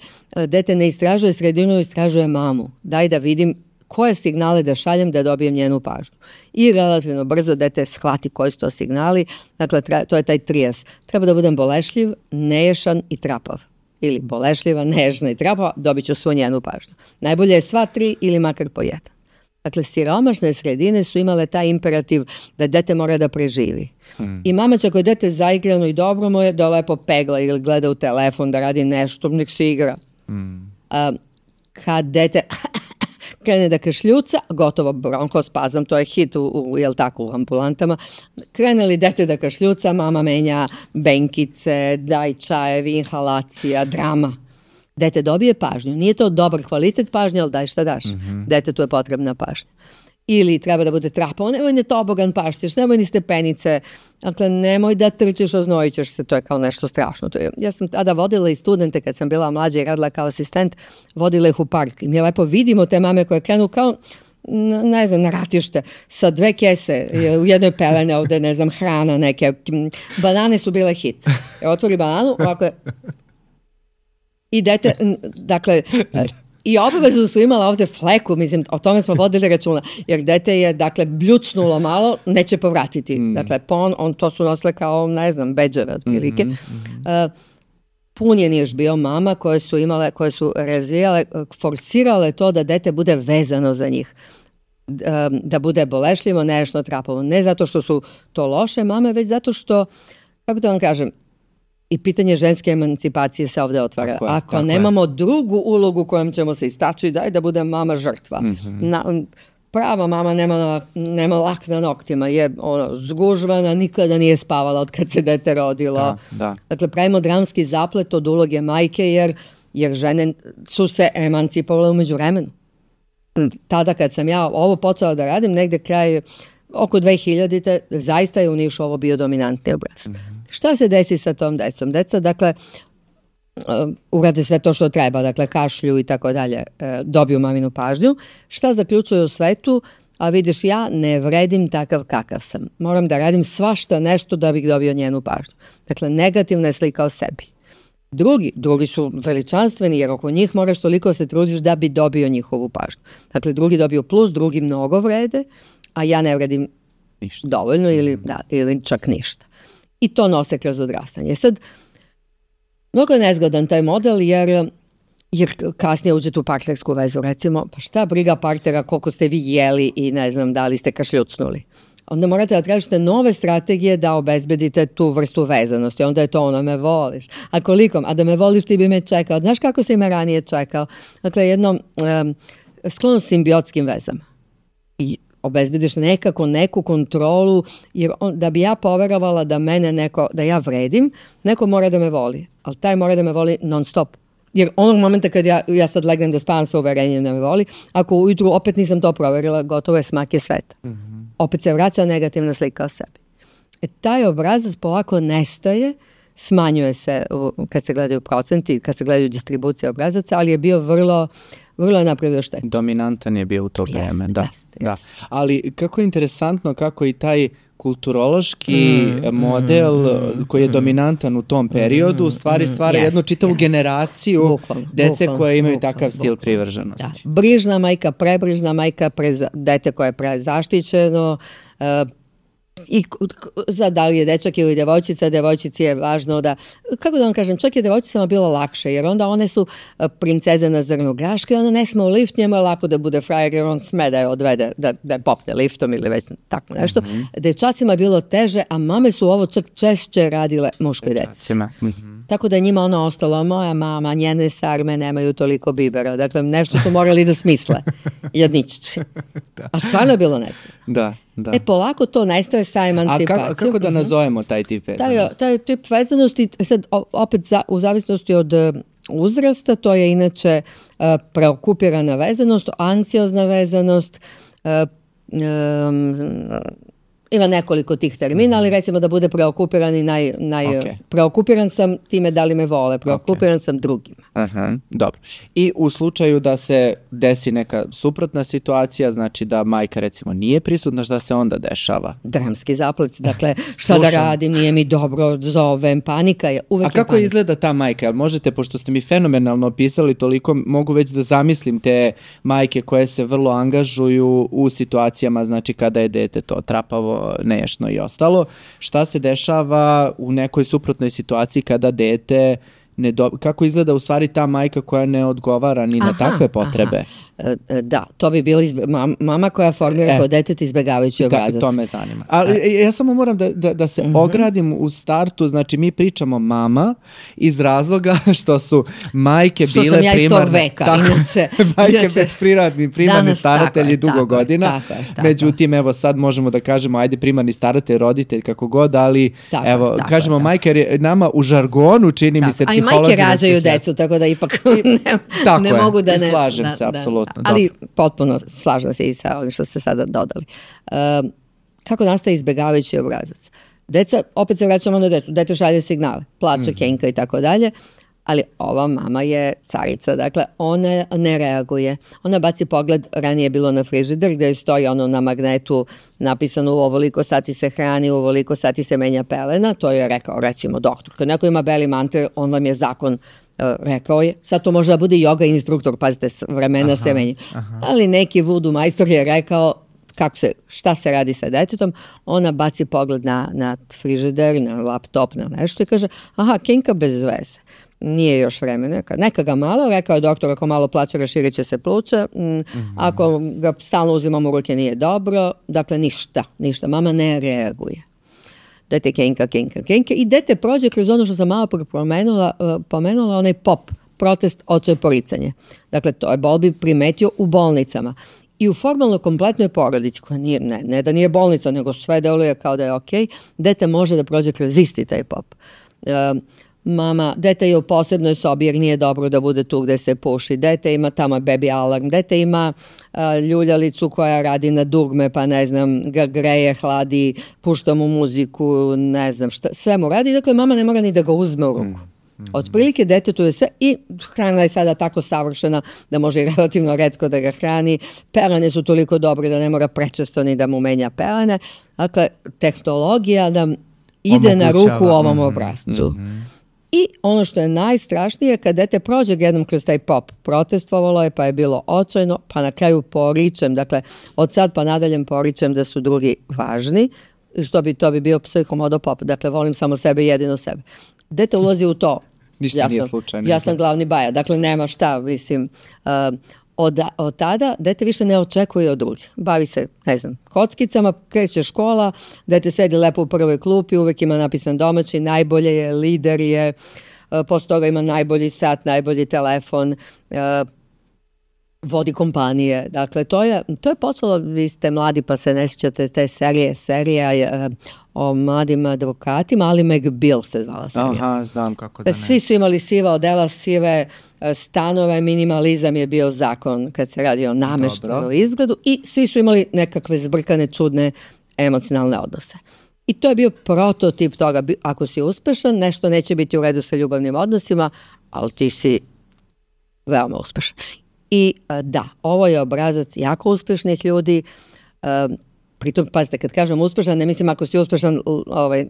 Dete ne istražuje sredinu, istražuje mamu. Daj da vidim koje signale da šaljem da dobijem njenu pažnju. I relativno brzo dete shvati koji su to signali. Dakle, to je taj trijes. Treba da budem bolešljiv, neješan i trapav. Ili bolešljiva, nežna i trapava, dobit ću svu njenu pažnju. Najbolje je sva tri ili makar po jedan. Dakle, siromašne sredine su imale taj imperativ da dete mora da preživi. Mm. I mama će ako je dete zaigrano i dobro mu je da lepo pegla ili gleda u telefon, da radi nešto, nek se igra. Mm. A, kad dete krene da kašljuca, gotovo bronkospazam, to je hit u, u, jel tako, u ambulantama. Krene li dete da kašljuca, mama menja benkice, daj čajevi, inhalacija, drama. Dete dobije pažnju. Nije to dobar kvalitet pažnje, ali daj šta daš. Mm-hmm. Detetu je potrebna pažnja. Ili treba da bude trapao, nemoj ne tobogan paštiš, nemoj ni stepenice, dakle nemoj da trčiš, oznojit ćeš se, to je kao nešto strašno. To je, ja sam tada vodila i studente kad sam bila mlađa i radila kao asistent, vodila ih u park i mi je lepo vidimo te mame koje krenu kao, ne znam, na ratište, sa dve kese, u jednoj pelene ovde, ne znam, hrana neke, banane su bile hit. Otvori bananu, ovako je, i dete, dakle, i obavezu su imala ovde fleku, mislim, o tome smo vodili računa, jer dete je, dakle, bljucnulo malo, neće povratiti. Mm. Dakle, pon, on to su nosile kao, ne znam, bedževe, otprilike. Mm-hmm. Uh, pun je niš bio mama koje su imale, koje su razvijale, forsirale to da dete bude vezano za njih. Uh, da bude bolešljivo, nešto trapavo. Ne zato što su to loše mame, već zato što, kako da vam kažem, i pitanje ženske emancipacije se ovdje otvara. Tako je, Ako tako nemamo je. drugu ulogu kojom ćemo se istaći, daj da bude mama žrtva. Mm-hmm. Na, prava mama nema, nema lak na noktima, je ono, zgužvana, nikada nije spavala od kad se dete rodilo. Da, da. Dakle, pravimo dramski zaplet od uloge majke, jer, jer žene su se emancipovale umeđu vremenu. Tada kad sam ja ovo počela da radim, negde kraj oko dve hiljadite zaista je u Nišu ovo bio dominantni obraz. Mm-hmm. Šta se desi sa tom decom? Deca, dakle, uh, urade sve to što treba, dakle, kašlju i tako dalje, uh, dobiju maminu pažnju. Šta zaključuju u svetu? A vidiš, ja ne vredim takav kakav sam. Moram da radim svašta nešto da bih dobio njenu pažnju. Dakle, negativna je slika o sebi. Drugi, drugi su veličanstveni, jer oko njih moraš toliko se trudiš da bi dobio njihovu pažnju. Dakle, drugi dobiju plus, drugi mnogo vrede, a ja ne vredim ništa. Dovoljno ili, da, ili čak ništa. I to nose kroz odrastanje. Sad, mnogo je nezgodan taj model, jer, jer kasnije uđete u partnersku vezu, recimo, pa šta briga partnera koliko ste vi jeli i ne znam da li ste kašljucnuli. Onda morate da tražite nove strategije da obezbedite tu vrstu vezanosti. Onda je to ono, me voliš. A koliko? A da me voliš ti bi me čekao. Znaš kako si me ranije čekao? Dakle, jedno um, sklono simbiotskim vezama. I obezbediš nekako neku kontrolu, jer on, da bi ja poverovala da mene neko, da ja vredim, neko mora da me voli. Ali taj mora da me voli non stop. Jer onog momenta kad ja, ja sad legnem da spavam sa uverenjem da me voli, ako ujutru opet nisam to proverila, gotovo je smak je sveta. Mm-hmm. Opet se vraća negativna slika o sebi. E, taj obrazac polako nestaje, smanjuje se kad se gledaju procenti, kad se gledaju distribucije obrazaca, ali je bio vrlo, vrlo je napravio štetu. Dominantan je bio u to vreme, Jeste, da. jeste, da. jeste. Ali kako je interesantno kako i taj kulturološki mm, model mm, koji je dominantan u tom periodu, u stvari stvara yes, jednu čitavu yes. generaciju bukvalno, dece bukvalno, koje imaju bukvalno, takav stil bukvalno. privrženosti. Da. Brižna majka, prebrižna majka, preza, dete koje je prezaštićeno, uh, i za da li je dečak ili devojčica, devojčici je važno da, kako da vam kažem, čak je devojčicama bilo lakše, jer onda one su princeze na zrnu graške i ona ne sme u lift, njemu je lako da bude frajer jer on sme da je odvede, da, da je popne liftom ili već tako nešto. Mm-hmm. Dečacima je bilo teže, a mame su ovo čak češće radile muškoj deci. Mm-hmm. Tako da je njima ono ostalo, moja mama, njene sarme nemaju toliko bibera, dakle nešto su morali da smisle, jedničići. A stvarno je bilo nezgodno. Da. Da. E, polako to nestaje sa emancipacijom. A kako, kako da nazovemo taj tip vezanosti? Taj, taj tip vezanosti, sad opet za, u zavisnosti od uzrasta, to je inače uh, preokupirana vezanost, anksiozna vezanost, uh, um, ima nekoliko tih termina, ali recimo da bude preokupiran i naj, naj okay. preokupiran sam time da li me vole, preokupiran okay. sam drugima. Aha, dobro. I u slučaju da se desi neka suprotna situacija, znači da majka recimo nije prisutna, šta se onda dešava? Dramski zaplet, dakle šta da radim, nije mi dobro, zovem, panika je, uvek. A kako panika. Izgleda ta majka? Možete, pošto ste mi fenomenalno opisali toliko, mogu već da zamislim te majke koje se vrlo angažuju u situacijama, znači kada je dete to trapavo, neješno i ostalo. Šta se dešava u nekoj suprotnoj situaciji kada dete ne do... kako izgleda u stvari ta majka koja ne odgovara ni aha, na takve potrebe? Aha. Da, to bi bila izbe... mama koja formira e, kod deteta izbegavajući obrazac. To me zanima. Ali e. ja samo moram da, da, da se uh-huh. ogradim u startu, znači mi pričamo mama iz razloga što su majke što bile primarne... Što sam ja iz tog veka, tako, inače... majke inače primarni, primarni staratelji dugo tako godina. Tako je, tako Međutim, evo sad možemo da kažemo, ajde primarni staratelj, roditelj, kako god, ali tako, evo, tako, kažemo tako. majke, jer nama u žargonu čini tako. mi se psiholozi... A i majke rađaju decu, tako da ipak ne, tako ne je, mogu da ne... slažem da, se, da, apsolutno. Da. Ali potpuno slažem se i sa ovim što ste sada dodali. Uh, kako nastaje izbegavajući obrazac? Deca, opet se vraćamo na decu, dete šalje signale, plače, mm. kenka i tako dalje, ali ova mama je carica, dakle ona ne reaguje. Ona baci pogled, ranije je bilo na frižider gdje stoji ono na magnetu napisano u ovoliko sati se hrani, u ovoliko sati se menja pelena, to je rekao recimo doktor. Kad neko ima beli manter, on vam je zakon uh, rekao je, sad to može da bude yoga instruktor, pazite, vremena aha, se menja. Aha. Ali neki vudu majstor je rekao kako se, šta se radi sa detetom, ona baci pogled na, na frižider, na laptop, na nešto i kaže, aha, kenka bez veze. Nije još vremena. Neka ga malo, rekao je doktor, ako malo plaće, raširit će se pluća. Mm-hmm. Ako ga stalno uzimamo u ruke, nije dobro. Dakle, ništa, ništa. Mama ne reaguje. Dete kenka, kenka, kenka. I dete prođe kroz ono što sam malo pomenula, pomenula, onaj pop, protest, očaj, poricanje. Dakle, to je Bowlby primetio u bolnicama. I u formalno kompletnoj porodici, koja nije, ne, ne da nije bolnica, nego sve deluje kao da je okej, dete može da prođe kroz isti taj pop. Um, Mama, dete je u posebnoj sobi jer nije dobro da bude tu gde se puši. Dete ima tamo baby alarm. Dete ima uh, ljuljalicu koja radi na dugme, pa ne znam, ga greje, hladi, pušta mu muziku, ne znam šta. Sve mu radi, dakle mama ne mora ni da ga uzme u ruku. Mm. Otprilike detetu je sve i hrana je sada tako savršena da može i relativno retko da ga hrani. Pelene su toliko dobre da ne mora prečesto ni da mu menja pelene. Dakle, tehnologija nam ide omogućava na ruku ovom mm-hmm. obrazcu. Mm-hmm. I ono što je najstrašnije, kad dete prođe jednom kroz taj pop, protestovalo je, pa je bilo očajno, pa na kraju poričem, dakle, od sad pa nadaljem poričem da su drugi važni, što bi to bi bio psihomodopop, dakle, volim samo sebe i jedino sebe. Dete ulazi u to. Ništa ja nije sam, slučajno. Ja sam glavni baja, dakle, nema šta, mislim... Uh, Od, od tada dete više ne očekuje od drugih. Bavi se, ne znam, kockicama, kreće škola, dete sedi lepo u prvoj klupi, uvek ima napisan domaći, najbolje je, lider je, posle toga ima najbolji sat, najbolji telefon, vodi kompanije. Dakle, to je, to je počelo, vi ste mladi pa se ne sjećate te serije, serija je o mladim advokatima, ali McBeal se zvala serija. Aha, znam kako da ne. Svi su imali siva odela, sive stanove, minimalizam je bio zakon kad se radi o nameštaju, o izgledu i svi su imali nekakve zbrkane, čudne emocionalne odnose. I to je bio prototip toga, ako si uspešan, nešto neće biti u redu sa ljubavnim odnosima, ali ti si veoma uspešan. I da, ovo je obrazac jako uspešnih ljudi, pritom, pazite, kad kažem uspešan, ne mislim ako si uspešan, ovaj,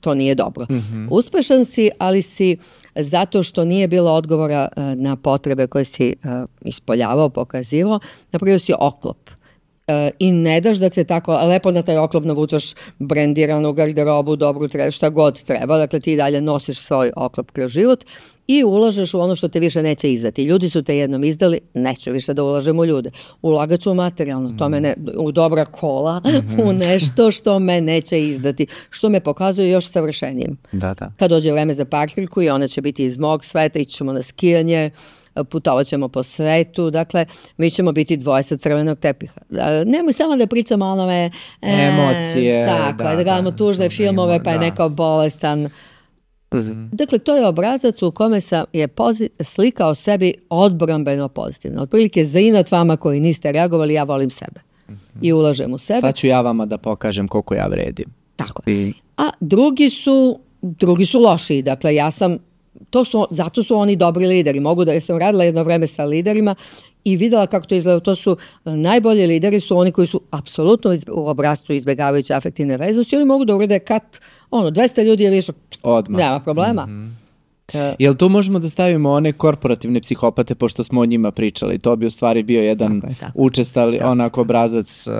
to nije dobro. Mm-hmm. Uspešan si, ali si zato što nije bilo odgovora na potrebe koje si ispoljavao, pokazivao, napravio si oklop. e, i ne daš da se tako lepo na taj oklop navučaš brendiranu garderobu, dobru, tre, šta god treba, dakle ti dalje nosiš svoj oklop kroz život i ulažeš u ono što te više neće izdati. Ljudi su te jednom izdali, neću više da ulažem u ljude. Ulagat ću u materijalno, to me ne, u dobra kola, mm-hmm. u nešto što me neće izdati, što me pokazuje još savršenijim. Da, da. Kad dođe vreme za parkirku i ona će biti iz mog sveta, ići ćemo na skijanje, putovat ćemo po svetu, dakle, mi ćemo biti dvoje sa crvenog tepiha. Nemoj samo da pričamo o onome... E, emocije. Tako, da, da gledamo da, tužne filmove, pa je da. Neko bolestan. Mm-hmm. Dakle, to je obrazac u kome sam je pozit, slika o sebi odbrambeno pozitivno. Otprilike za inat vama koji niste reagovali, ja volim sebe. Mm-hmm. I ulažem u sebe. Sad ću ja vama da pokažem koliko ja vredim. Tako. I... A drugi su, drugi su lošiji. Dakle, ja sam To su, zato su oni dobri lideri. Mogu da, ja sam radila jedno vreme sa liderima i videla kako to izgleda. To su najbolji lideri su oni koji su apsolutno iz, u obrazcu izbjegavajući afektivne veznosti. Oni mogu da urede kat, ono, dvesta ljudi je više, odmah. Nema problema. Mm-hmm. Uh, Jel tu možemo da stavimo one korporativne psihopate, pošto smo o njima pričali? To bi u stvari bio jedan tako je, tako. učestali, tako. onako obrazac uh,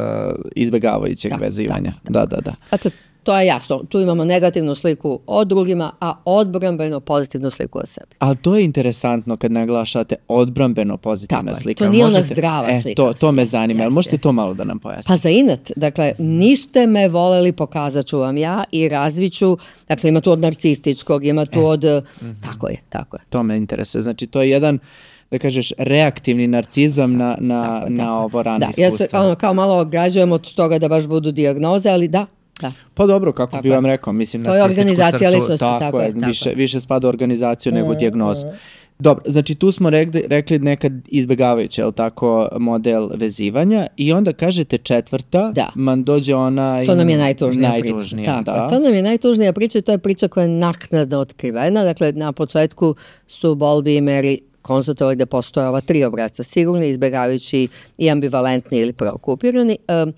izbjegavajućeg tako, vezivanja. Tako, tako. Da, da, da. Dakle, to je jasno. Tu imamo negativnu sliku o drugima, a odbrambeno pozitivnu sliku o sebi. Ali to je interesantno kad naglašate odbrambeno pozitivna tako slika. To nije možete, ona zdrava e, slika. To, to me zanima. Jeste. Možete to malo da nam pojasnite? Pa za inat. Dakle, niste me voleli, pokazat ću vam ja i razviću. Dakle, ima tu od narcističkog, ima tu e. od... Mm-hmm. Tako je, tako je. To me interesuje. Znači, to je jedan... da kažeš, reaktivni narcizam na, na, tako, na tako. ovo rano da, iskustvo. Ja se ono, kao malo ograđujem od toga da baš budu dijagnoze, ali da, da. Pa dobro, kako tako bi vam rekao, mislim, to je organizacija crtu, ličnosti, tako, tako je, tako više, više spada u organizaciju mm, nego dijagnozu. Mm. Dobro, znači tu smo rekli, rekli nekad izbjegavajuće, je li tako, model vezivanja i onda kažete četvrta, da. man dođe ona... To nam je najtužnija, najtužnija priča. Da. To nam je najtužnija priča, to je priča koja je naknadno otkrivena, dakle na početku su Bowlby i Mary konstatovali da postoje ova tri obrazca, sigurni, izbjegavajući i ambivalentni ili preokupirani. Um,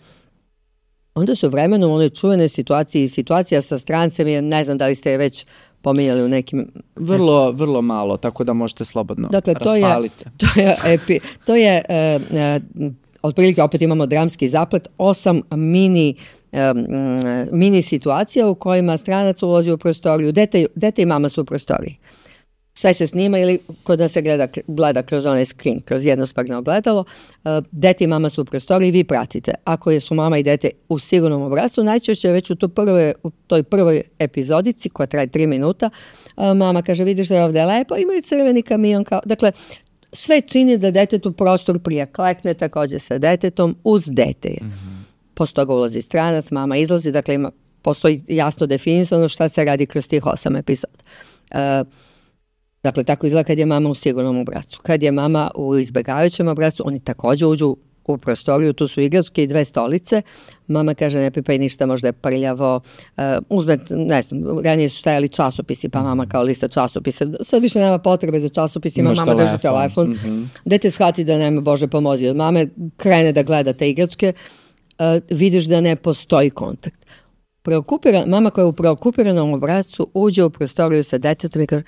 onda su vremenom u onoj čuvenoj situaciji, situacija sa strancem, je, ne znam da li ste je već pominjali u nekim... Vrlo, vrlo malo, tako da možete slobodno dakle, to raspalite. Je, to je, epi, to je uh, uh, otprilike opet imamo dramski zaplet, osam mini, um, mini situacija u kojima stranac ulazi u prostoriju, dete, dete i mama su u prostoriji. Sve se snima ili kod nas se gleda, gleda kroz onaj screen, kroz jednosparno ogledalo. Dete i mama su u prostoriji, vi pratite. Ako su mama i dete u sigurnom obrascu, najčešće već u, to prve, u toj prvoj epizodici, koja traje tri minuta, mama kaže, vidiš da je ovdje lepo, imaju crveni kamion. Kao... Dakle, sve čini da detetu prostor prije klekne, također sa detetom, uz dete je. Mm-hmm. Posle toga ulazi stranac, mama izlazi, dakle ima, postoji jasno definisano šta se radi kroz tih osam epizoda. Uh, Dakle, tako izgleda kad je mama u sigurnom obrascu. Kad je mama u izbjegavajućem obrascu, oni također uđu u prostoriju, tu su igračke i dve stolice. Mama kaže, ne pipaj ništa, možda je prljavo. Uh, uzme, ne znam, ranije su stajali časopisi, pa mama kao lista časopisa. Sad više nema potrebe za časopisima, mama telefon. drži telefon. Mm-hmm. Dete shvati da nema, Bože pomozi od mame, krene da gleda te igračke, uh, vidiš da ne postoji kontakt. Preokupiran, mama koja je u preokupiranom obrazcu uđe u prostoriju sa detetom i kaže,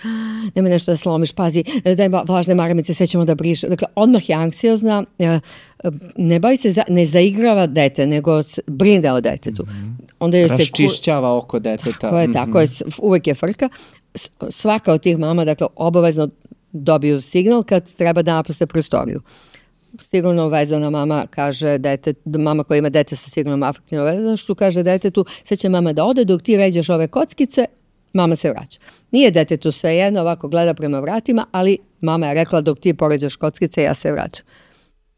nemoj nešto da slomiš, pazi, daj vlažne maramice, sve ćemo da briše. Dakle, odmah je anksiozna, ne bavi se, za, ne zaigrava dete, nego brine o detetu. Mm-hmm. Onda je raščišćava se, oko deteta. Tako je, mm-hmm. tako je, uvek je frka. Svaka od tih mama, dakle, obavezno dobiju signal kad treba da napuste prostoriju. Sigurno vezana mama kaže dete, mama koja ima dete sa sigurnom afektivnom vezanošću kaže detetu, sad će mama da ode dok ti ređeš ove kockice, mama se vraća. Nije detetu svejedno, ovako gleda prema vratima, ali mama je rekla dok ti poređaš kockice, ja se vraćam.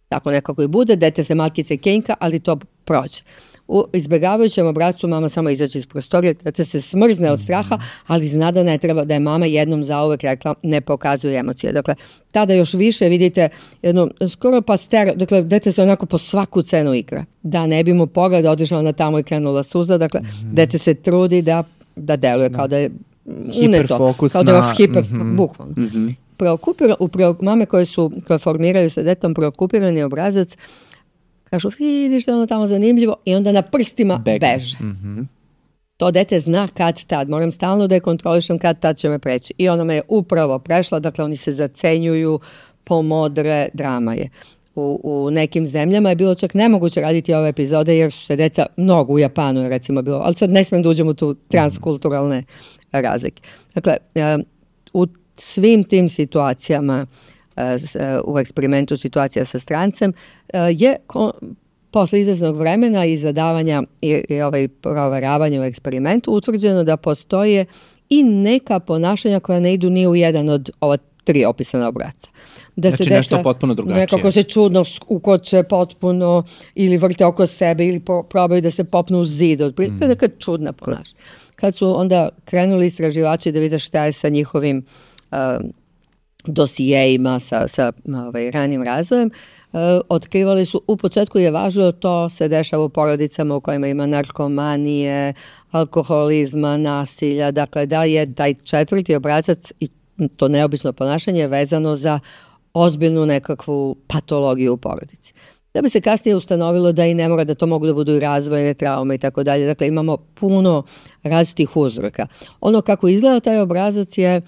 Tako nekako i bude, dete se malkice kenjka, ali to prođe. U izbjegavajućem obrascu mama samo izađe iz prostorije, dete se smrzne od straha, ali zna da ne treba, da je mama jednom zauvek rekla ne pokazuje emocije. Dakle, tada još više vidite jedno, skoro pa stero, dakle, dete se onako po svaku cenu igra. Da ne bi mu pogled otišao na tamo i krenula suza, dakle, mm-hmm. dete se trudi da, da deluje kao da je uneto, kao da je vaš hiper, mm-hmm. bukvalno. Mm-hmm. Preokupira, u pre, mame koje su, koje formiraju sa detom preokupirani obrazac, kažu, vidiš da je ono tamo zanimljivo i onda na prstima Beg. beže. Mm-hmm. To dete zna kad tad, moram stalno da je kontrolišem kad tad će me preći. I ona me je upravo prešla, dakle oni se zacenjuju, pomodre, drama je. u, u nekim zemljama je bilo čak nemoguće raditi ove epizode jer su se deca, mnogo u Japanu je recimo bilo, ali sad ne smijem da uđem u tu transkulturalne razlike. Dakle, u svim tim situacijama, u eksperimentu situacija sa strancem, je posle izvesnog vremena i zadavanja i, i ovaj proveravanja u eksperimentu utvrđeno da postoje i neka ponašanja koja ne idu ni u jedan od ova tri opisana obrasca. Da znači se nešto deca, potpuno drugačije. Nekako se čudno ukoče potpuno ili vrte oko sebe ili po, probaju da se popnu u zid. Otprilike mm. neka čudna ponašanja. Kad su onda krenuli istraživači da vide šta je sa njihovim uh, dosijejima, sa, sa ovaj, ranim razvojem, uh, otkrivali su, u početku je važno, to se dešava u porodicama u kojima ima narkomanije, alkoholizma, nasilja, dakle da je taj četvrti obrazac i to neobično ponašanje vezano za ozbiljnu nekakvu patologiju u porodici. Da bi se kasnije ustanovilo da i ne mora da to mogu da budu i razvojne traume i tako dalje. Dakle, imamo puno različitih uzroka. Ono kako izgleda taj obrazac je,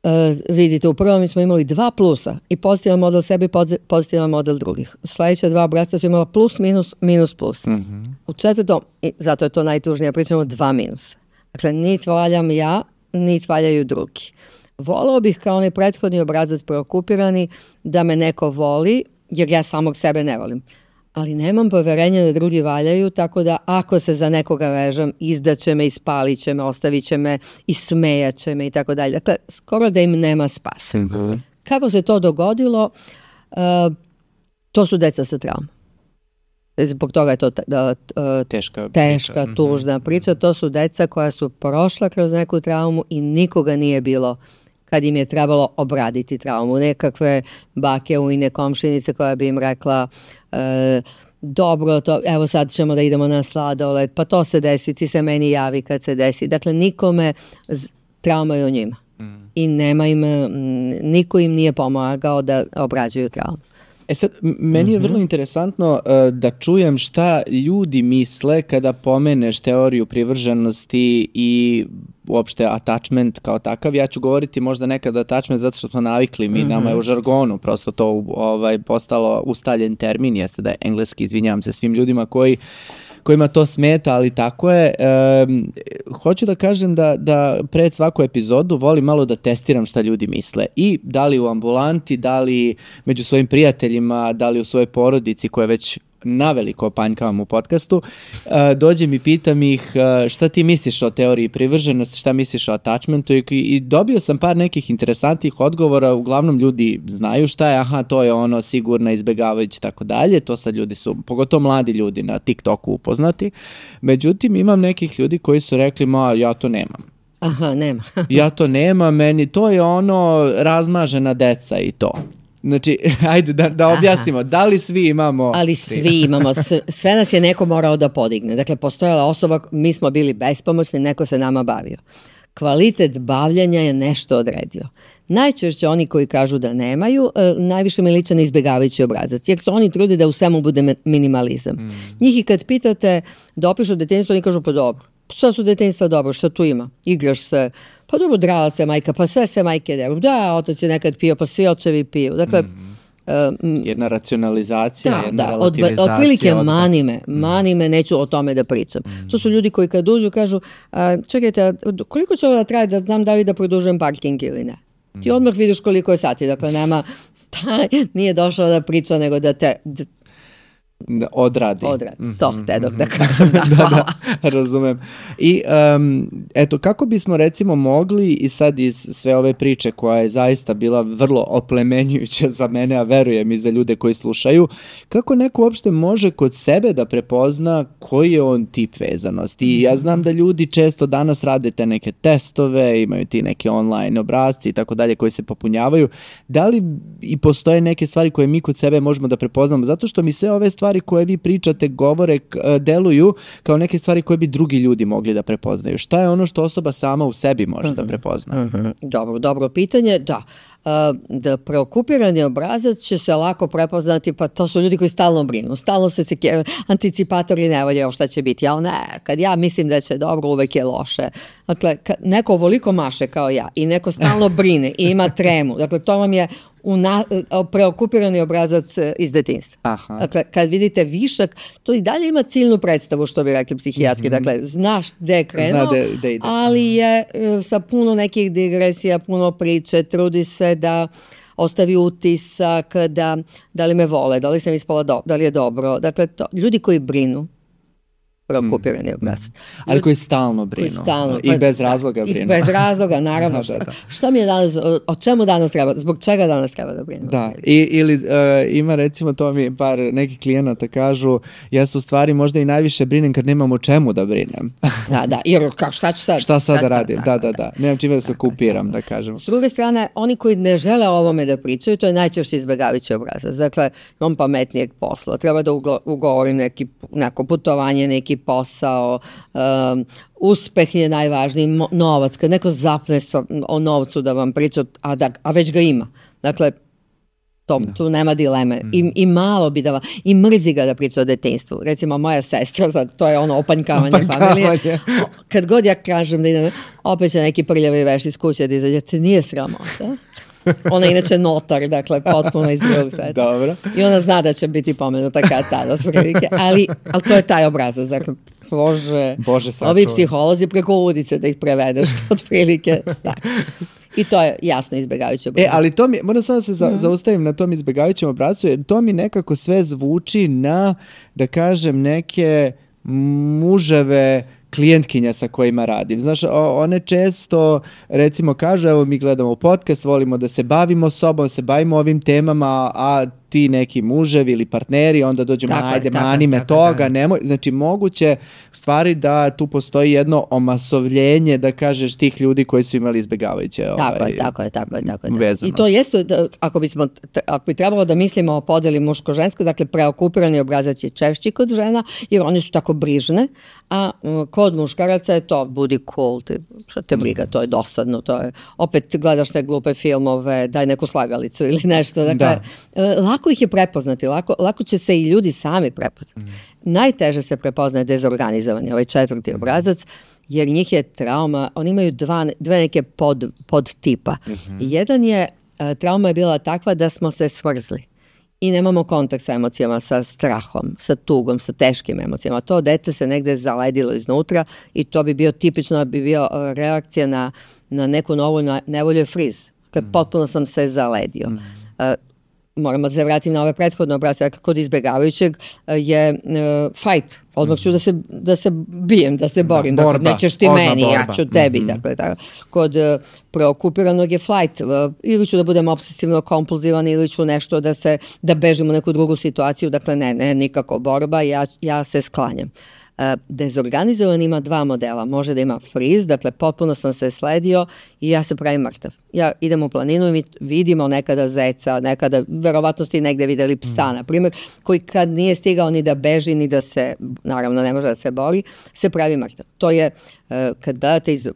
uh, vidite, u prvom smo imali dva plusa i pozitivan model sebe i pozitivan model drugih. Sljedeća dva obrazca su imala plus, minus, minus, plus. Mm-hmm. U četvrtom, i zato je to najtužnije, pričamo dva minusa. Dakle, niti valjam ja, niti valjaju drugi. Volao bih kao onaj prethodni obrazac preokupirani da me neko voli, jer ja samog sebe ne volim. Ali nemam poverenja da drugi valjaju, tako da ako se za nekoga vežem, izdaće me, ispalit će me, ostavit će me, ismejat će me i tako dalje. Dakle, skoro da im nema spasa. Mm-hmm. Kako se to dogodilo? Uh, to su deca sa traumom. Zbog toga je to da, uh, teška, teška priča. tužna priča. To su deca koja su prošla kroz neku traumu i nikoga nije bilo kad im je trebalo obraditi traumu. Nekakve bake ujne komšinice koja bi im rekla uh, dobro, to, evo sad ćemo da idemo na sladoled, pa to se desi, ti se meni javi kad se desi. Dakle, nikome z- trauma je u njima. Mm. I nema im, niko im nije pomagao da obrađuju traumu. E sad, meni je vrlo interesantno uh, da čujem šta ljudi misle kada pomeneš teoriju privrženosti i uopšte attachment kao takav. Ja ću govoriti možda nekad attachment zato što smo navikli, mi mm-hmm. nama je u žargonu prosto to ovaj, postalo ustaljen termin, jeste da je engleski, izvinjavam se svim ljudima koji kojima to smeta, ali tako je. E, hoću da kažem da, da pred svaku epizodu volim malo da testiram šta ljudi misle. I da li u ambulanti, da li među svojim prijateljima, da li u svojoj porodici koje već naveliko opanjkavam u podcastu, e, dođem i pitam ih e, šta ti misliš o teoriji privrženosti, šta misliš o attachmentu i, i dobio sam par nekih interesantnih odgovora, uglavnom ljudi znaju šta je, aha, to je ono sigurno izbjegavajući tako dalje, to sad ljudi su, pogotovo mladi ljudi na TikToku upoznati, međutim imam nekih ljudi koji su rekli, ma ja to nemam. Aha, nema. ja to nemam, meni to je ono razmažena deca i to. Znači, ajde da, da objasnimo, aha, da li svi imamo... Ali svi imamo, sve nas je neko morao da podigne. Dakle, postojala osoba, mi smo bili bespomoćni, neko se nama bavio. Kvalitet bavljanja je nešto odredio. Najčešće oni koji kažu da nemaju, najviše mi liče na izbjegavajući obrazac, jer su oni trudi da u svemu bude minimalizam. Mm. Njih i kad pitate da opišu detinjstvo, oni kažu pa dobro. Sve su detinjstva dobro, što tu ima? Igraš se, pa dobro, drala se majka, pa sve se majke deru. Da, otac je nekad pio, pa svi očevi piju. Dakle, mm. um, jedna racionalizacija, da, jedna da, relativizacija. Od, otprilike mani me, mani me, neću o tome da pričam. Mm. To su ljudi koji kad uđu kažu, a, čekajte, koliko će ovo da traje da znam da li da produžujem parking ili ne? Mm. Ti odmah vidiš koliko je sati, dakle nema, taj nije došao da priča, nego da te... Da, odradi. Odradi, to htedok da kažem, da, da, da, razumem. I um, eto, kako bismo recimo mogli i sad iz sve ove priče koja je zaista bila vrlo oplemenjujuća za mene, a verujem i za ljude koji slušaju, kako neko uopšte može kod sebe da prepozna koji je on tip vezanosti. I ja znam da ljudi često danas rade te neke testove, imaju ti neke online obrasci i tako dalje koji se popunjavaju. Da li i postoje neke stvari koje mi kod sebe možemo da prepoznamo? Zato što mi sve ove stvari koje vi pričate, govore, deluju kao neke stvari koje bi drugi ljudi mogli da prepoznaju. Šta je ono što osoba sama u sebi može uh-huh. da prepozna? Uh-huh. Dobro, dobro pitanje, da. da preokupirani obrazac će se lako prepoznati, pa to su ljudi koji stalno brinu, stalno se anticipatori nevolje, šta će biti, ja ne, kad ja mislim da će dobro, uvek je loše. Dakle, neko ovoliko maše kao ja i neko stalno brine i ima tremu, dakle, to vam je Una, preokupirani obrazac iz detinjstva. Aha. Dakle, kad vidite višak, to i dalje ima ciljnu predstavu, što bi rekli psihijatri. Mm-hmm. Dakle, znaš gde je krenuo, de, de ali je sa puno nekih digresija, puno priče, trudi se da ostavi utisak, da, da li me vole, da li sam ispala do, da li je dobro. Dakle, to, ljudi koji brinu, preokupirani mm. obrazac. Ali koji stalno brinu. Koji stalno, I bez razloga brinu. I bez razloga, naravno. da, da, da. Šta mi je danas, o čemu danas treba, zbog čega danas treba da brinu? Da, I, ili uh, ima recimo, to mi par nekih klijenata kažu, ja se u stvari možda i najviše brinem kad nemam o čemu da brinem. da, da, jer ka, šta ću sad? Šta sad da radim? Da, da, da. Nemam čime da se okupiram, da kažem. S druge strane, oni koji ne žele o ovome da pričaju, to je najčešće izbjegavajući obrazac. Dakle, imam pametnijeg posla, treba da ugovorim neki, neko putovanje, neki posao, um, uspeh je najvažniji, mo, novac, kad neko zapne o novcu da vam priča, a, da, a već ga ima. Dakle, to, no. tu nema dileme. Mm. I, I malo bi da vam, i mrzi ga da priča o detinjstvu. Recimo, moja sestra, sad, to je ono opanjkavanje, opanjkavanje familije. Kad god ja kažem da idem, opet će neki prljavi veš iz kuće da izađe, ti nije sramota. Ona je inače notar, dakle, potpuno iz drugog sveta. Dobro. I ona zna da će biti pomenuta kad tada, sprilike, ali, ali to je taj obrazac, dakle, Bože, Bože ovi psiholozi preko udice da ih prevedeš, otprilike, da. I to je jasno izbjegavajući obrazac. E, ali to mi, moram samo se za, mm. zaustavim na tom izbjegavajućem obrazcu, jer to mi nekako sve zvuči na, da kažem, neke muževe klijentkinja sa kojima radim. Znaš, one često, recimo, kažu, evo mi gledamo podcast, volimo da se bavimo sobom, se bavimo ovim temama, a ti neki muževi ili partneri, onda dođemo, tako, ajde, tako, mani me tako, toga, tako. Nemoj. Znači, moguće stvari da tu postoji jedno omasovljenje, da kažeš, tih ljudi koji su imali izbjegavajuće tako ovaj, je, tako je, tako je, tako je. vezanost. I to jeste, ako bismo, ako bi trebalo da mislimo o podeli muško-žensko, dakle, preokupirani obrazac je češći kod žena, jer oni su tako brižne, a kod muškaraca je to, budi cool, ti, šta te briga, to je dosadno, to je, opet gledaš te glupe filmove, daj neku slagalicu ili nešto, dakle, da. lako ih je prepoznati, lako, lako će se i ljudi sami prepoznati. Mm. Najteže se prepoznaje dezorganizovani, ovaj četvrti obrazac, jer njih je trauma, oni imaju dva, dve neke pod, pod tipa. Mm-hmm. Jedan je, trauma je bila takva da smo se smrzli i nemamo kontakt sa emocijama, sa strahom, sa tugom, sa teškim emocijama. To dete se negde zaledilo iznutra i to bi bio tipično, bi bio reakcija na, na neku novu nevolju friz. Dakle, mm. potpuno sam se zaledio. Mm. Uh, Moramo da se vratim na ove prethodne obrazce. Kod izbjegavajućeg je uh, fight. Odmah ću da se, da se bijem, da se borim. Da, dakle, nećeš ti meni, borba. Ja ću tebi. Mm-hmm. Dakle, tako. Kod uh, preokupiranog je fight. Uh, ili ću da budem obsesivno kompulzivan, ili ću nešto da se, da bežim u neku drugu situaciju. Dakle, ne, ne, nikako borba. Ja, ja se sklanjam. Uh, dezorganizovan ima dva modela. Može da ima freeze, dakle potpuno sam se sledio i ja se pravim mrtav. Ja idem u planinu i mi vidimo nekada zeca, nekada, verovatno ste negde videli psa, mm. na primjer, koji kad nije stigao ni da beži, ni da se, naravno ne može da se bori, se pravi mrtav. To je, uh, kad gledate iz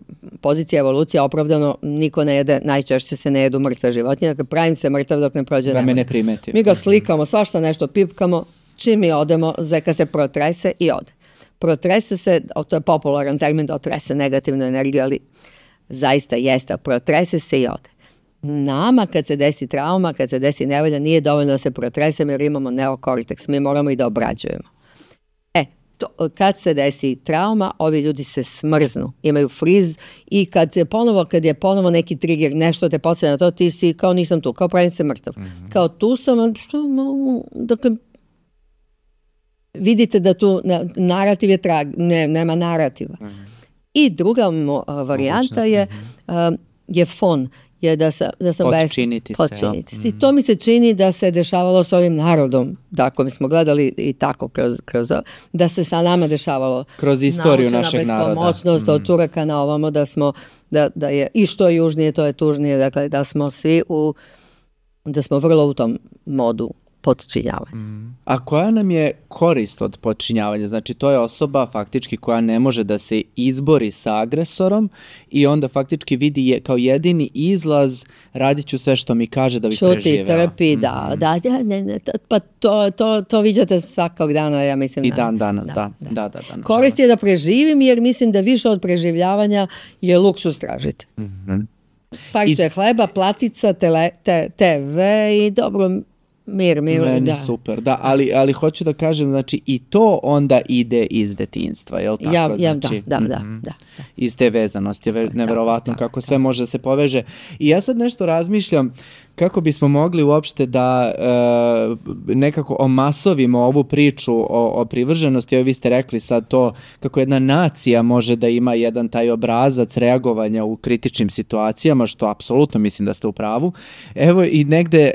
pozicije evolucije, opravdano niko ne jede, najčešće se ne jedu mrtve životinje, dakle pravim se mrtav dok ne prođe da me ne primeti. Mi ga slikamo, svašta nešto pipkamo, čim mi odemo, zeka se protrese i ode. Protrese se, to je popularan termin da otrese negativnu energiju, ali zaista jeste, protrese se i ode. Nama kad se desi trauma, kad se desi nevolja, nije dovoljno da se protresemo jer imamo neokorteks, mi moramo i da obrađujemo. E, to, kad se desi trauma, ovi ljudi se smrznu, imaju friz i kad je ponovo, kad je ponovo neki trigger, nešto te podsjeća na to, ti si kao nisam tu, kao pravim se mrtav. Mm-hmm. Kao tu sam, što, dakle, vidite da tu narativ je trag, ne, nema narativa. Mm-hmm. I druga uh, varijanta je, uh, je fon, je da, sa, da sam podčiniti bez... Podčiniti se. I to mi se čini da se dešavalo s ovim narodom, dakle mi smo gledali i tako kroz, kroz da se sa nama dešavalo. Kroz istoriju našeg naroda. Bespomoćnost, mm. od Turaka na ovamo, da smo, da, da je i što je južnije, to je tužnije, dakle da smo svi u, da smo vrlo u tom modu podčinjavanja. Mm. A koja nam je korist od podčinjavanja? Znači, to je osoba faktički koja ne može da se izbori sa agresorom i onda faktički vidi je, kao jedini izlaz radit ću sve što mi kaže da bih preživela. Čuti, trpi, da, mm-hmm. da, da, ne, ne, pa to, to, to viđate svakog dana, ja mislim. I da, dan danas, da. da, da, da, da, da korist je da preživim, jer mislim da više od preživljavanja je luksus tražiti. Mm-hmm. Parče I... hleba, platica, tele, te, te ve i dobro, mir, mir. Meni da. super, da, ali, ali hoću da kažem, znači i to onda ide iz detinjstva, je li tako? Ja, ja, znači, da, da, da, mm-hmm. da, da. Iz te vezanosti, je neverovatno da, kako da, sve da. može da se poveže. I ja sad nešto razmišljam kako bismo mogli uopšte da e, nekako omasovimo ovu priču o, o privrženosti. Evo vi ste rekli sad to kako jedna nacija može da ima jedan taj obrazac reagovanja u kritičnim situacijama, što apsolutno mislim da ste u pravu. Evo i negde e,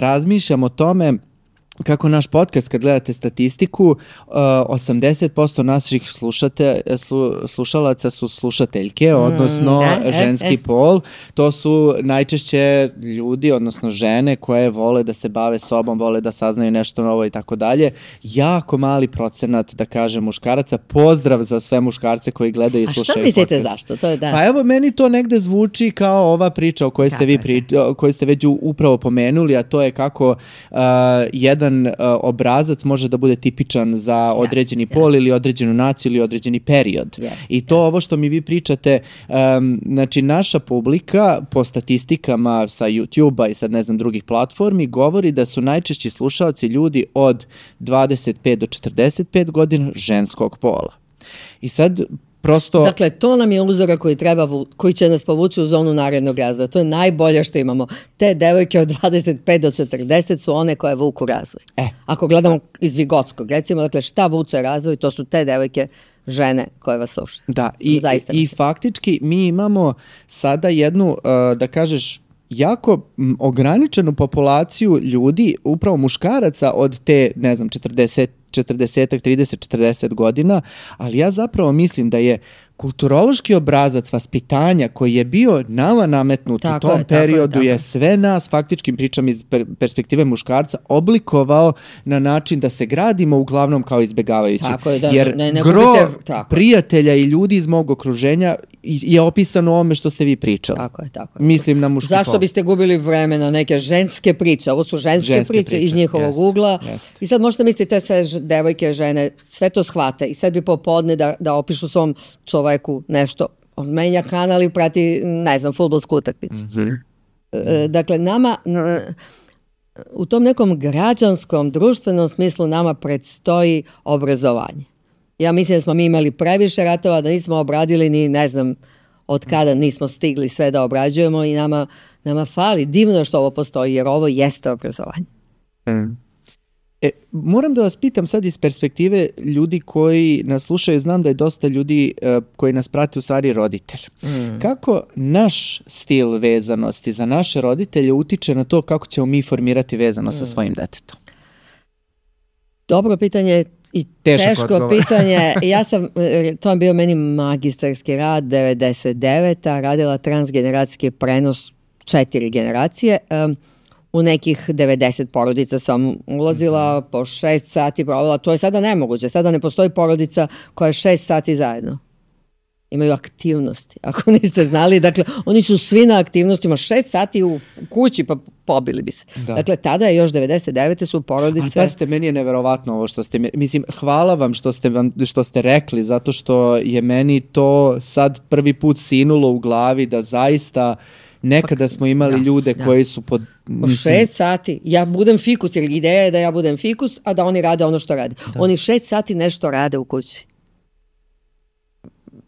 razmišljam o tome kako naš podcast, kad gledate statistiku, osamdeset posto naših slušate, slu, slušalaca su slušateljke, odnosno mm, e, ženski e, pol. To su najčešće ljudi, odnosno žene koje vole da se bave sobom, vole da saznaju nešto novo i tako dalje. Jako mali procenat, da kažem, muškaraca. Pozdrav za sve muškarce koji gledaju i slušaju podcast. A što mislite zašto? To je da. Pa evo, meni to negde zvuči kao ova priča o kojoj ste, vi pri, koju ste već upravo pomenuli, a to je kako uh, jedan jedan uh, obrazac može da bude tipičan za određeni yes, pol yes. ili određenu naciju ili određeni period. Yes, I to yes. ovo što mi vi pričate, um, znači naša publika po statistikama sa YouTube-a i sad ne znam drugih platformi govori da su najčešći slušaoci ljudi od dvadeset pet do četrdeset pet godina ženskog pola. I sad prosto... Dakle, to nam je uzorak koji, treba, koji će nas povući u zonu narednog razvoja. To je najbolje što imamo. Te devojke od dvadeset pet do četrdeset su one koje vuku razvoj. E. Ako gledamo iz Vigotskog, recimo, dakle, šta vuče razvoj, to su te devojke, žene koje vas slušaju. Da, i, i faktički mi imamo sada jednu, uh, da kažeš, jako ograničenu populaciju ljudi, upravo muškaraca od te, ne znam, četrdeset, četrdeset, trideset, četrdeset godina, ali ja zapravo mislim da je kulturološki obrazac vaspitanja koji je bio nama nametnut tako u tom je, periodu je, je sve nas, faktički pričam iz perspektive muškarca, oblikovao na način da se gradimo uglavnom kao izbjegavajući. Tako je, da, jer ne, ne gro gubite, tako prijatelja i ljudi iz mog okruženja je opisano o ome što ste vi pričali. Tako je, tako je. Mislim na muški Zašto pol. biste gubili vreme na neke ženske priče? Ovo su ženske, ženske priče, priče iz njihovog jest, ugla. Jest. I sad možete misliti te sve devojke, žene, sve to shvate i sad bi popodne da, da opišu svom čoveku nešto. On menja kanal i prati, ne znam, fudbalsku utakmicu. Mm-hmm. E, dakle, nama u tom nekom građanskom, društvenom smislu nama predstoji obrazovanje. Ja mislim da smo mi imali previše ratova, da nismo obradili ni, ne znam, od kada nismo stigli sve da obrađujemo i nama, nama fali. Divno što ovo postoji, jer ovo jeste obrazovanje. Mm. E, moram da vas pitam sad iz perspektive ljudi koji nas slušaju, znam da je dosta ljudi uh, koji nas prate u stvari roditelj. Mm. Kako naš stil vezanosti za naše roditelje utiče na to kako ćemo mi formirati vezanost mm. sa svojim detetom? Dobro pitanje i Tešak teško odgovor. pitanje. Ja sam, to je bio meni magistarski rad, devedeset deveta radila transgeneracijski prenos četiri generacije. Um, u nekih devedeset porodica sam ulazila, mm-hmm. po šest sati provela. To je sada nemoguće. Sada ne postoji porodica koja je šest sati zajedno. Imaju aktivnosti, ako niste znali. Dakle, oni su svi na aktivnostima, šest sati u kući, pa pobili bi se. Da. Dakle, tada je još devedeset devete su porodice... Ali pazite, meni je neverovatno ovo što ste... Mislim, hvala vam što ste, vam, što ste rekli, zato što je meni to sad prvi put sinulo u glavi da zaista... Nekada smo imali da, ljude da. koji su pod... Po šest sati. Ja budem fikus, jer ideja je da ja budem fikus, a da oni rade ono što rade. Da. Oni šest sati nešto rade u kući.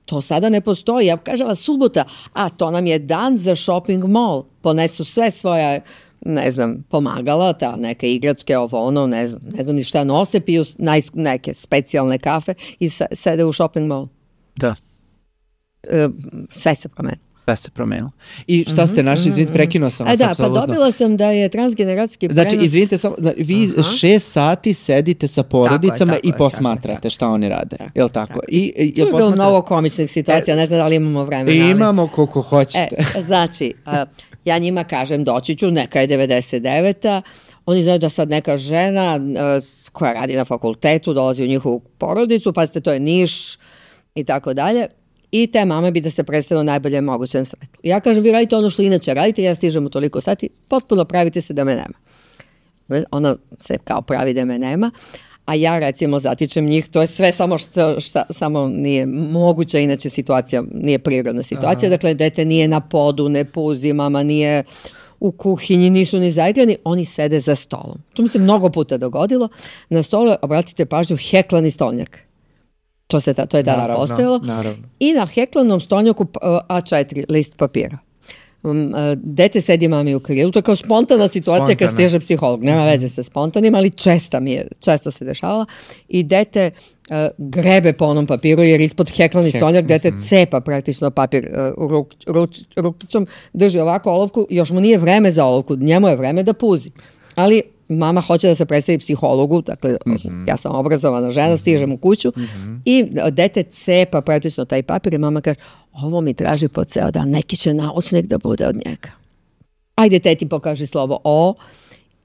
To sada ne postoji. Ja kažem vas subota, a to nam je dan za shopping mall. Ponesu sve svoja, ne znam, pomagala, ta neke igračke, ovo ono, ne znam, ne znam ni šta nose, piju naj, neke specijalne kafe i sede u shopping mall. Da. E, sve se promeni. Sve se promenilo. I šta ste našli, izvinite, prekinuo sam vas. A da, apsolutno. Pa dobila sam da je transgeneracijski prenos... Znači, izvinite, samo, vi Aha. šest sati sedite sa porodicama tako je, tako i posmatrate tako, šta oni rade. Tako, Jel' tako? tako. I, i, tu je bilo mnogo komičnih situacija, e, ne znam da li imamo vremena. Ali... Imamo koliko hoćete. E, znači, a, ja njima kažem doći ću, neka je devedeset deveta, oni znaju da sad neka žena koja radi na fakultetu dolazi u njihovu porodicu, pazite, to je Niš i tako dalje. I te mame bi da se predstavilo najbolje mogućem svetu. Ja kažem, vi radite ono što inače radite, ja stižem u toliko sati, potpuno pravite se da me nema. Ona se kao pravi da me nema, a ja recimo zatičem njih, to je sve samo što, šta, samo nije moguća, inače situacija, nije prirodna situacija, aha. Dakle, dete nije na podu, ne puzi, mama nije u kuhinji, nisu ni zaigrani, oni sede za stolom. To mi se mnogo puta dogodilo. Na stolu, obratite pažnju, heklani stolnjak. To, se ta, to je tada naravno, postojalo. Naravno. I na heklanom stolnjaku A četiri list papira. Dete sedi mami u krilu, to je kao spontana situacija Spontana. Kad stiže psiholog, nema veze sa spontanim, ali česta mi je, često se dešavala i dete uh, grebe po onom papiru jer ispod heklani Hek. stolnjak dete mm-hmm. cepa praktično papir uh, ruk, ruč, rukicom, drži ovako olovku, još mu nije vreme za olovku, njemu je vreme da puzi, ali mama hoće da se predstavi psihologu, dakle mm-hmm. ja sam obrazovana žena, stižem u kuću mm-hmm. i dete cepa praktično taj papir i mama kaže, ovo mi traži po ceo dan, neki će naučnik da bude od njega. Ajde teti pokaži slovo O.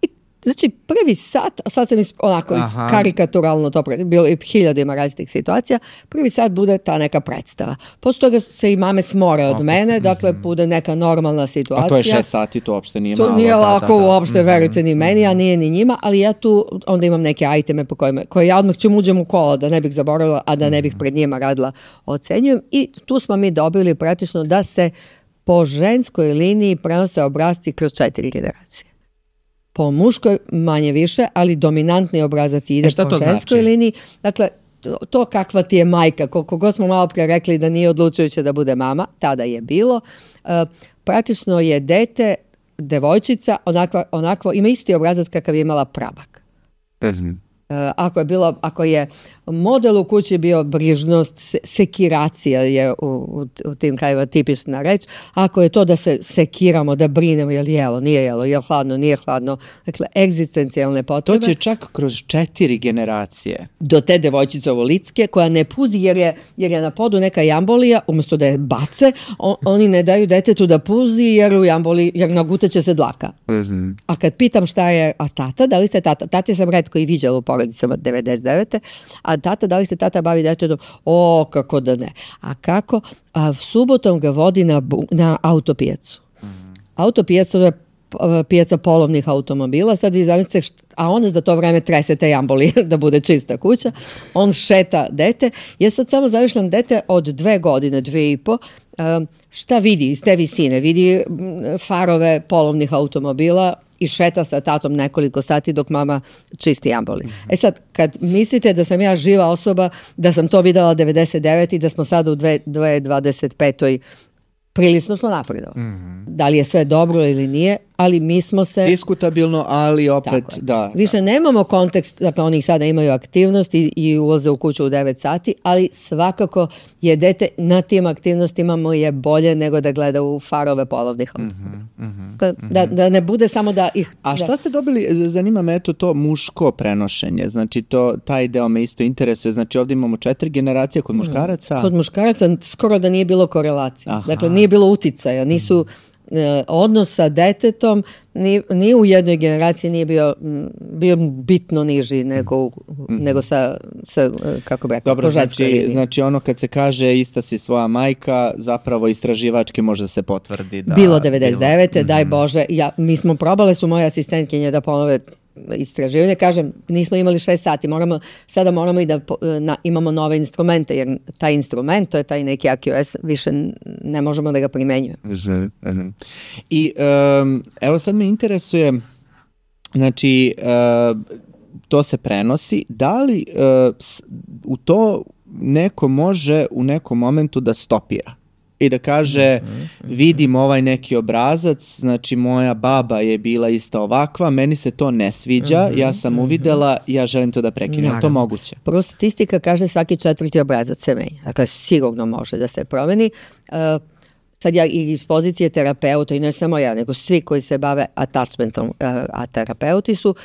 I, znači prvi sat, sad sam is, onako is, karikaturalno to, bilo i hiljadu ima različitih situacija, prvi sat bude ta neka predstava. Posle toga se i mame smore od mene, dakle bude neka normalna situacija. A to je šest sati, to uopšte nije to malo. To nije lako da, da, da. uopšte, mm-hmm. verujte ni meni, a nije ni njima, ali ja tu onda imam neke iteme po kojima, koje ja odmah ćem uđem u kola da ne bih zaboravila, a da ne bih pred njima radila, ocenjujem. I tu smo mi dobili praktično da se po ženskoj liniji prenose obrasci kroz četiri generacije. Po muškoj manje više, ali dominantni obrazac ide e po ženskoj znači? liniji. Dakle, to, to kakva ti je majka, koliko god smo malo pre rekli da nije odlučujuće da bude mama, tada je bilo. Uh, praktično je dete, devojčica, onakva, onakvo, ima isti obrazac kakav je imala prabak. Mhm. Ako je, bilo, ako je model u kući bio brižnost, sekiracija je u, u, u tim krajima tipična reč, ako je to da se sekiramo, da brinemo, je li jelo, nije jelo, je li hladno, nije hladno, dakle, egzistencijalne potrebe. To će čak kroz četiri generacije. Do te devojčice ovolitske, koja ne puzi jer je, jer je na podu neka jambolija, umjesto da je bace, on, oni ne daju detetu da puzi jer u jamboli, jer nagutaće se dlaka. Mm-hmm. A kad pitam šta je, a tata, da li ste tata, tata sam retko i viđala u porodicama devedeset devete a tata, da li se tata bavi detetom? O, kako da ne. A kako? A subotom ga vodi na, na autopijacu. Mm-hmm. Autopijaca je pijaca polovnih automobila, sad vi zamislite, št, a onda za to vreme trese te jamboli da bude čista kuća, on šeta dete, ja sad samo zavišljam dete od dve godine, dve i po, šta vidi iz te visine? Vidi farove polovnih automobila i šeta sa tatom nekoliko sati dok mama čisti jamboli. Mm-hmm. E sad, kad mislite da sam ja živa osoba, da sam to videla devedeset devete i da smo sada u dve tisuće dvadeset petoj prilično smo napredovali. Mm-hmm. Da li je sve dobro ili nije, ali mi smo se... Diskutabilno, ali opet, da. Više da. nemamo kontekst, dakle oni sada imaju aktivnost i, i ulaze u kuću u devet sati, ali svakako je dete na tim aktivnostima mu je bolje nego da gleda u farove polovnih automobila. Mm-hmm, mm-hmm. Da, da ne bude samo da ih... A šta da... ste dobili, zanima me eto to muško prenošenje, znači to, taj deo me isto interesuje, znači ovdje imamo četiri generacije kod muškaraca. Kod muškaraca skoro da nije bilo korelacije, aha. Dakle nije bilo uticaja, nisu... odnos sa detetom ni, ni u jednoj generaciji nije bio, bio bitno niži nego, mm-hmm. nego sa, sa, kako bi rekao, dobro, znači, znači ono kad se kaže ista si svoja majka, zapravo istraživački može se potvrdi da... Bilo devedeset devete bilo. Daj Bože, ja, mi smo probale su moje asistentkinje da ponove istraživanje, kažem, nismo imali šest sati, moramo, sada moramo i da na, imamo nove instrumente, jer taj instrument, to je taj neki A Q S, više ne možemo da ga primenjujemo. I um, evo sad me interesuje, znači, uh, to se prenosi, da li uh, u to neko može u nekom momentu da stopira? I da kaže, vidim ovaj neki obrazac, znači moja baba je bila isto ovakva, meni se to ne sviđa, ja sam uvidela, ja želim to da prekinem. Je to moguće? Prvo statistika kaže svaki četvrti obrazac se menja. Dakle, sigurno može da se promeni. Uh, sad ja i iz pozicije terapeuta, i ne samo ja, nego svi koji se bave attachmentom, a terapeuti su,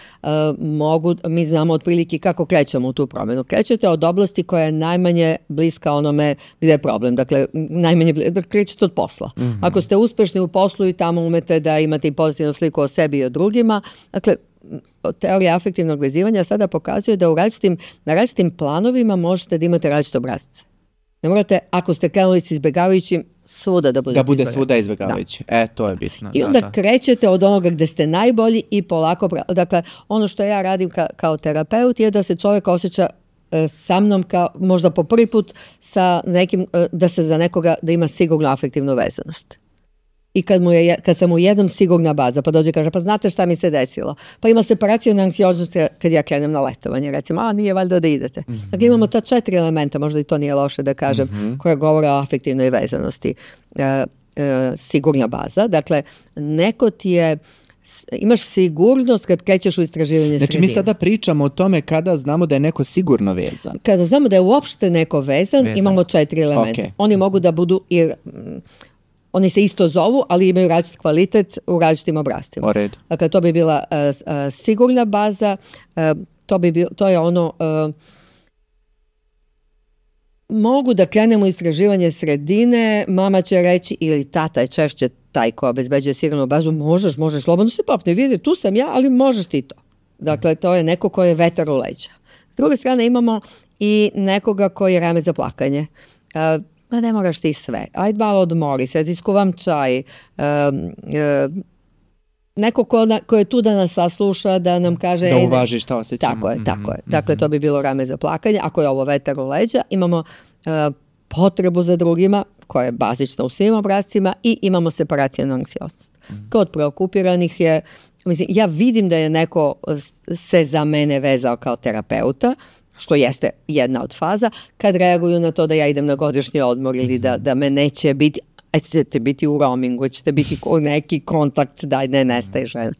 mogu, mi znamo otprilike kako krećemo u tu promjenu. Krećete od oblasti koja je najmanje bliska onome gdje je problem. Dakle, najmanje bliska, krećete od posla. Mm-hmm. Ako ste uspešni u poslu i tamo umete da imate i pozitivnu sliku o sebi i o drugima, dakle, teorija afektivnog vezivanja sada pokazuje da u različitim, na različitim planovima možete da imate različite obrazce. Ne morate, ako ste krenuli s izbjegavajućim, svuda da budete Da bude svuda izbjegavajući. Da. E, to je bitno. I onda da, da. krećete od onoga gdje ste najbolji i polako, dakle, ono što ja radim ka, kao terapeut je da se čovjek osjeća e, sa mnom kao možda po prvi put sa nekim, e, da se za nekoga, da ima sigurnu afektivnu vezanost. I kad, mu je, kad sam u jednom sigurna baza, pa dođe i kaže, pa znate šta mi se desilo? Pa ima separacijona anksioznost kad ja krenem na letovanje, recimo, a nije valjda da idete. Mm-hmm. Dakle, imamo ta četiri elementa, možda i to nije loše da kažem, mm-hmm. koja govore o afektivnoj vezanosti. E, e, sigurna baza, dakle, neko ti je, imaš sigurnost kad krećeš u istraživanje znači, sredine. mi sada pričamo o tome kada znamo da je neko sigurno vezan. Kada znamo da je uopšte neko vezan, vezan. imamo četiri elementa. Okay. Oni mogu da budu i... Oni se isto zovu, ali imaju različit kvalitet u različitim obrascima. Dakle, to bi bila uh, uh, sigurna baza, uh, to, bi bil, to je ono... Uh, mogu da krenemo u istraživanje sredine, mama će reći, ili tata je češće taj ko obezbeđuje sigurnu bazu, možeš, možeš, slobodno se popne, vidi, tu sam ja, ali možeš ti to. Dakle, to je neko ko je vetar u leđa. S druge strane imamo i nekoga koji je rame za plakanje. Uh, Ma ne moraš ti sve. Ajde malo odmori se, iskuvam čaj. Um, um, neko ko, na, ko je tu da nas sasluša, da nam kaže... Da uvaži šta osjećamo. Tako je, tako je. Dakle, to bi bilo rame za plakanje. Ako je ovo vetar u leđa, imamo uh, potrebu za drugima, koja je bazična u svim obrazcima, i imamo separacijonu anksioznost. Kod preokupiranih je... Mislim, ja vidim da je neko se za mene vezao kao terapeuta, što jeste jedna od faza, kad reaguju na to da ja idem na godišnji odmor ili da, da me neće biti, a ćete biti u roamingu, ćete biti neki kontakt, daj, ne nestaje žena.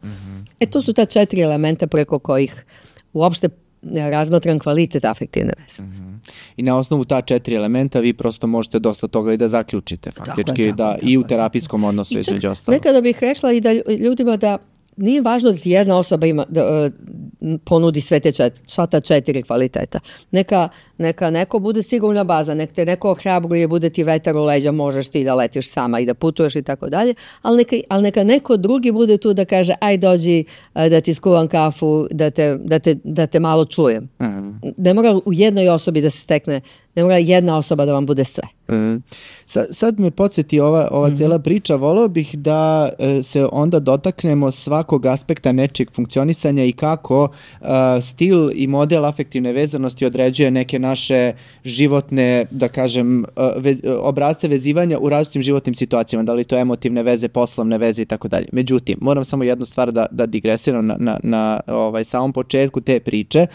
E, to su ta četiri elementa preko kojih uopšte razmatram kvalitet afektivne vezanosti. Mm-hmm. I na osnovu ta četiri elementa vi prosto možete dosta toga i da zaključite faktički, tako je, tako, da tako, i u terapijskom odnosu između ostalo. Nekada bih rekla i da ljudima da nije važno da jedna osoba ima, da, uh, ponudi sve te četiri, sva ta četiri kvaliteta. Neka, neka neko bude sigurna baza, nek te neko ohrabruje, bude ti vetar u leđa, možeš ti da letiš sama i da putuješ i tako dalje, ali neka, ali neka neko drugi bude tu da kaže, aj dođi uh, da ti skuvam kafu, da te, da te, da te malo čujem. Mm-hmm. Ne mora u jednoj osobi da se stekne, ne mora jedna osoba da vam bude sve. Mm. Sad, sad me podsjeti ova, ova mm-hmm. cijela priča, volio bih da e, se onda dotaknemo svakog aspekta nečeg funkcionisanja i kako e, stil i model afektivne vezanosti određuje neke naše životne, da kažem, vez, obrazce vezivanja u različitim životnim situacijama, da li to emotivne veze, poslovne veze i tako dalje. Međutim, moram samo jednu stvar da, da digresiram na, na, na ovaj, samom početku te priče,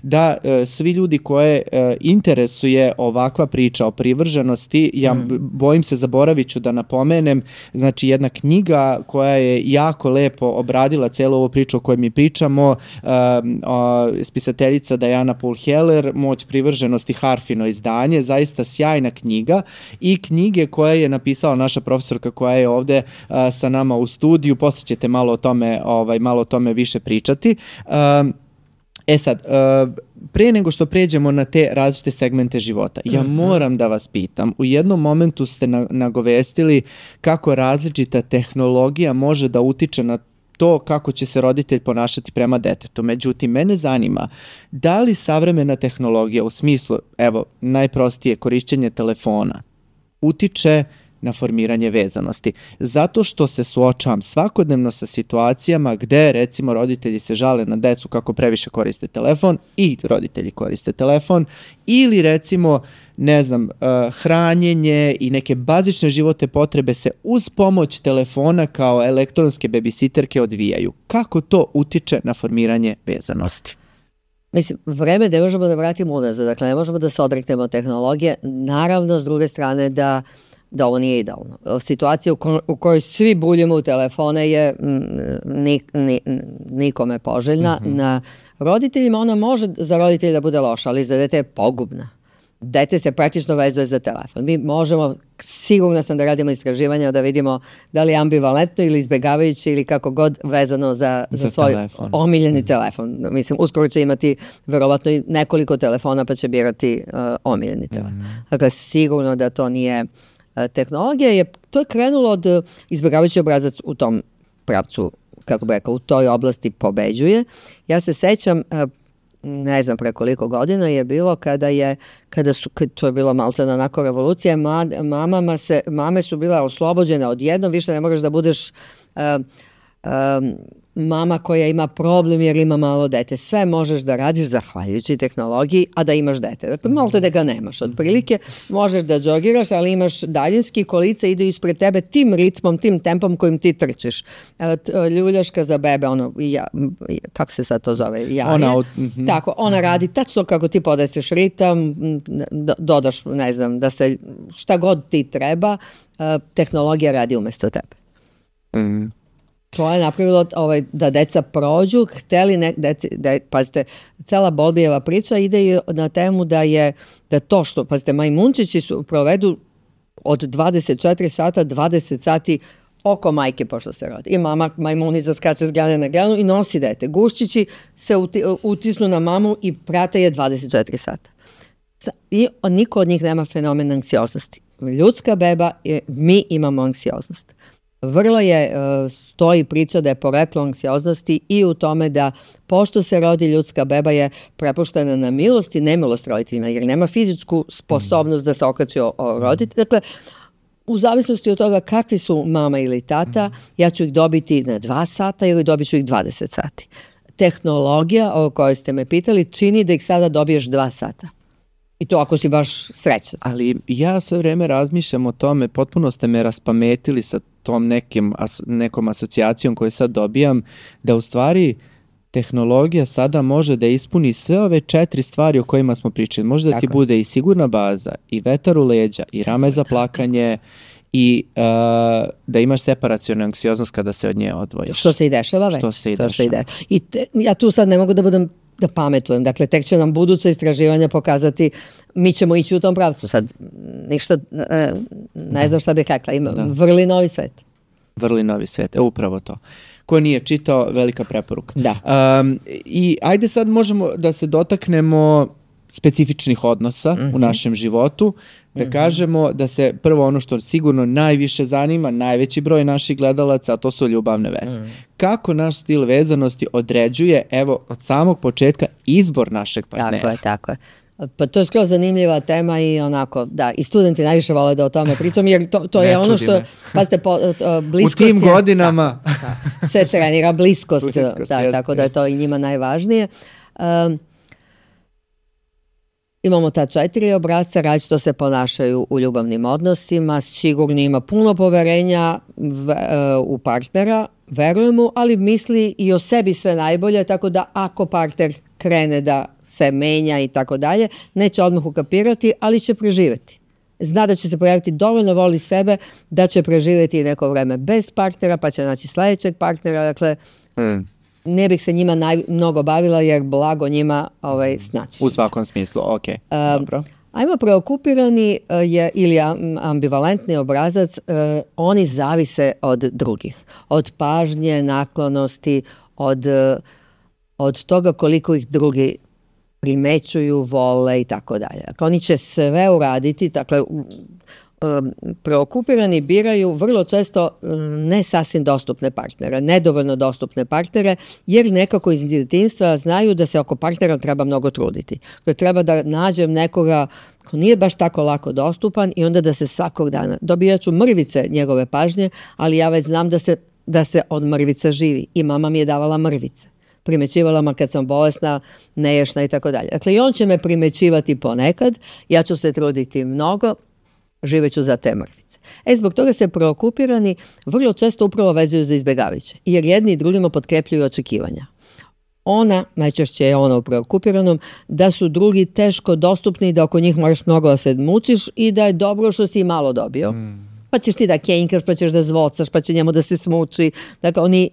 da e, svi ljudi koje e, interesuje ovakva priča o privrženosti, ja mm. bojim se, zaboravit ću da napomenem, znači jedna knjiga koja je jako lepo obradila celu ovu priču o kojoj mi pričamo, um, o, spisateljica Diana Poole Heller, Moć privrženosti, Harfino izdanje, zaista sjajna knjiga, i knjige koje je napisala naša profesorka koja je ovde uh, sa nama u studiju, poslije ćete malo o tome, ovaj, malo o tome više pričati. Um, E sad, prije nego što pređemo na te različite segmente života, ja moram da vas pitam, u jednom momentu ste nagovestili kako različita tehnologija može da utiče na to kako će se roditelj ponašati prema detetu. Međutim, mene zanima, da li savremena tehnologija u smislu, evo, najprostije korišćenje telefona, utiče na formiranje vezanosti. Zato što se suočavam svakodnevno sa situacijama gde, recimo, roditelji se žale na decu kako previše koriste telefon i roditelji koriste telefon, ili, recimo, ne znam, uh, hranjenje i neke bazične životne potrebe se uz pomoć telefona kao elektronske babysitterke odvijaju. Kako to utiče na formiranje vezanosti? Mislim, vreme ne možemo da vratimo unazad, dakle ne možemo da se odreknemo tehnologije, naravno s druge strane da da ovo nije idealno. Situacija u, ko- u kojoj svi buljimo u telefone je ni, ni, nikome poželjna. Mm-hmm. Na roditeljima ona može za roditelja da bude loša, ali za dete je pogubna. dete se praktično vezuje za telefon. Mi možemo, sigurno sam da radimo istraživanja da vidimo da li je ambivalentno ili izbjegavajući ili kako god vezano za, za, za svoj telefon. Omiljeni mm. telefon. Mislim, uskoro će imati verovatno i nekoliko telefona pa će birati uh, omiljeni telefon. Mm. Dakle, sigurno da to nije uh, tehnologija. Je, to je krenulo od uh, izbjegavajući obrazac u tom pravcu, kako bi rekao, u toj oblasti pobeđuje. Ja se sećam, uh, ne znam pre koliko godina je bilo kada je, kada su, kad to je bilo maltene onako revolucija, ma, mamama se, mame su bile oslobođene odjednom, više ne moraš da budeš uh, um, mama koja ima problem jer ima malo dete. Sve možeš da radiš zahvaljujući tehnologiji, a da imaš dete. Dakle, malo te da ga nemaš. Otprilike možeš da džogiraš, ali imaš daljinski, kolica idu ispred tebe tim ritmom, tim tempom kojim ti trčiš. Ljuljaška za bebe, ono, ja, kako se sad to zove? Jaje. Ona, mm-hmm. Tako, ona radi tačno kako ti podeseš ritam, dodaš, ne znam, da se šta god ti treba, tehnologija radi umesto tebe. Mhm. To je napravilo ovaj, da deca prođu, hteli, ne, deci, de, pazite, cela Bolbijeva priča ide na temu da je, da to što, pazite, majmunčići su, provedu od dvadeset četiri sata, dvadeset sati oko majke pošto se rodi. I mama majmunica skače s grane na granu i nosi dete. Guščići se uti, utisnu na mamu i prate je dvadeset četiri sata. I niko od njih nema fenomen anksioznosti. Ljudska beba, je, mi imamo anksioznost. Vrlo je, stoji priča da je poreklo anksioznosti i u tome da pošto se rodi ljudska beba je prepuštena na milost i nemilost roditeljima, jer nema fizičku sposobnost da se okači o, o roditelju. Dakle, u zavisnosti od toga kakvi su mama ili tata, ja ću ih dobiti na dva sata ili dobit ću ih dvadeset sati. Tehnologija o kojoj ste me pitali čini da ih sada dobiješ dva sata. I to ako si baš srećan. Ali ja sve vreme razmišljam o tome, potpuno ste me raspametili sa tom nekim, as, nekom asocijacijom koju sad dobijam, da u stvari tehnologija sada može da ispuni sve ove četiri stvari o kojima smo pričali. Može da ti bude i sigurna baza, i vetar u leđa, i rame za plakanje, i uh, da imaš separacionu anksioznost kada se od nje odvojiš. Što se i dešava već. Što se i dešava. Ide. I te, ja tu sad ne mogu da budem da pametujem. Dakle, tek će nam buduća istraživanja pokazati, mi ćemo ići u tom pravcu. Sad, ništa, ne, ne znam šta bih rekla. Ima da. Vrli novi svet. Vrli novi svet, e, upravo to. Ko nije čitao, velika preporuka. Da. Um, I ajde sad možemo da se dotaknemo specifičnih odnosa mm-hmm. u našem životu, da mm-hmm. kažemo da se prvo ono što sigurno najviše zanima, najveći broj naših gledalaca, a to su ljubavne veze. Mm. Kako naš stil vezanosti određuje, evo, od samog početka izbor našeg partnera. Tako je, tako je. Pa to je skroz zanimljiva tema i onako, da, i studenti najviše vole da o tome pričam, jer to, to je ono što, pazite, po, bliskost u tim je, godinama da, da, se trenira bliskost, bliskost da, jest, tako da je to i njima najvažnije. Um, Imamo ta četiri obrazca, različito se ponašaju u ljubavnim odnosima, sigurno ima puno poverenja v, uh, u partnera, verujemo, ali misli i o sebi sve najbolje, tako da ako partner krene da se menja i tako dalje, neće odmah ukapirati, ali će preživjeti. Zna da će se pojaviti, dovoljno voli sebe, da će preživjeti neko vreme bez partnera, pa će naći sljedećeg partnera, dakle... Mm. Ne bih se njima naj, mnogo bavila jer blago njima ovaj, snaći. U svakom smislu, ok. Um, dobro. Ajmo, preokupirani je, ili ambivalentni obrazac, uh, oni zavise od drugih. Od pažnje, naklonosti, od, od toga koliko ih drugi primećuju, vole i tako dalje. Dakle, oni će sve uraditi, dakle, preokupirani biraju vrlo često ne sasvim dostupne partnere, nedovoljno dostupne partnere, jer nekako iz djetinjstva znaju da se oko partnera treba mnogo truditi. Da treba da nađem nekoga ko nije baš tako lako dostupan i onda da se svakog dana dobijat ću mrvice njegove pažnje, ali ja već znam da se, da se od mrvica živi i mama mi je davala mrvice. Primećivala ma kad sam bolesna, neješna i tako dalje. Dakle, i on će me primećivati ponekad, ja ću se truditi mnogo, živeću za te mrvice. E, zbog toga se preokupirani vrlo često upravo vezuju za izbjegavajuće, jer jedni i drugima potkrepljuju očekivanja. Ona, najčešće je ona u preokupiranom, da su drugi teško dostupni i da oko njih moraš mnogo da se mučiš i da je dobro što si i malo dobio. Mm. Pa ćeš ti da kenjkaš, pa ćeš da zvocaš, pa će njemu da se smuči. Dakle, oni,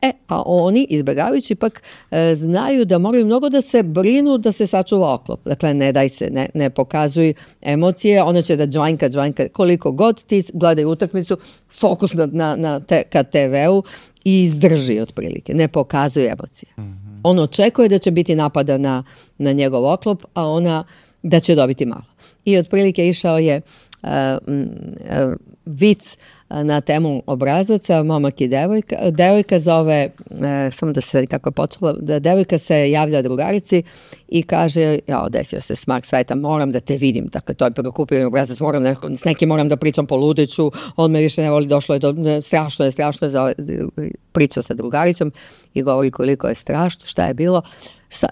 E, a oni, izbjegavajući pak, e, znaju da moraju mnogo da se brinu da se sačuva oklop. Dakle, ne daj se, ne, ne pokazuj emocije, ona će da džvanjka, džvanjka, koliko god ti gledaju utakmicu, fokus na, na, na te, ka te veu i izdrži otprilike, ne pokazuje emocije. Mm-hmm. On očekuje da će biti napada na, na njegov oklop, a ona da će dobiti malo. I otprilike išao je uh, uh, vic na temu obrazaca, momak i devojka. Devojka zove, e, samo da se kako je počela, da devojka se javlja drugarici i kaže, ja, desio se smak sveta, moram da te vidim. Dakle, to je preokupirani obrazac, moram neko, s nekim moram da pričam po ludeću, on me više ne voli, došlo je do, ne, strašno je, strašno je, za, priča sa drugaricom i govori koliko je strašno, šta je bilo. Sa,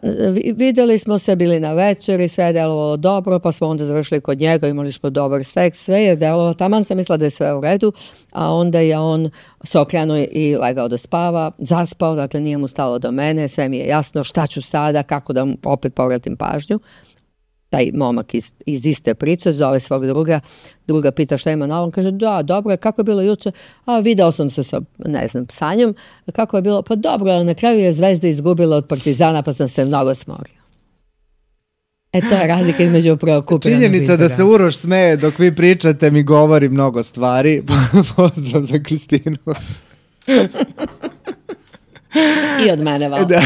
videli smo se, bili na večeri, sve je delovalo dobro, pa smo onda završili kod njega, imali smo dobar seks, sve je delovalo, taman sam mislila da je sve u redu, a onda je on se okrenuo i legao da spava, zaspao, dakle nije mu stalo do mene, sve mi je jasno šta ću sada, kako da mu opet povratim pažnju. Taj momak iz, iz iste priče zove svog druga, druga pita šta ima na ovom, kaže da, dobro je, kako je bilo juče, a video sam se sa, ne znam, Sanjom, kako je bilo, pa dobro, na kraju je Zvezda izgubila od Partizana, pa sam se mnogo smorio. E, to je razlika između preokupiranog. Činjenica da se Uroš smeje dok vi pričate mi govori mnogo stvari. Pozdrav za Kristinu. I od mene, val. Da.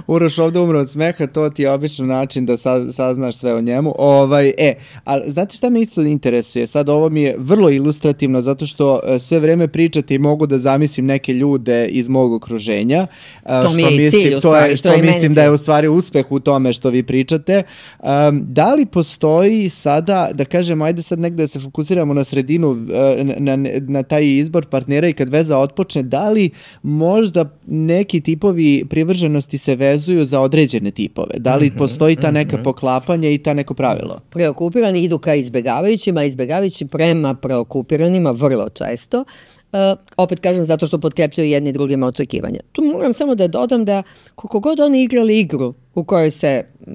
Uroš ovdje umre od smeha, to ti je obično način da saznaš sve o njemu. Ovaj, e, ali znate šta me isto interesuje? Sad ovo mi je vrlo ilustrativno zato što sve vreme pričate i mogu da zamislim neke ljude iz mog okruženja. To što mi je i mislim, cilj u to stvari. je, što što mislim da je u stvari uspeh u tome što vi pričate. Um, da li postoji sada, da kažemo, ajde sad negde da se fokusiramo na sredinu, na, na, na taj izbor partnera i kad veza otpočne, da li možda neki tipovi privrženosti se vezuju za određene tipove? Da li postoji ta neka poklapanja i ta neko pravilo? Preokupirani idu ka izbjegavajućima, izbjegavajući prema preokupiranima vrlo često. Uh, opet kažem zato što potkrepljuju jedni drugima očekivanja. Tu moram samo da dodam da koliko god oni igrali igru u kojoj se uh,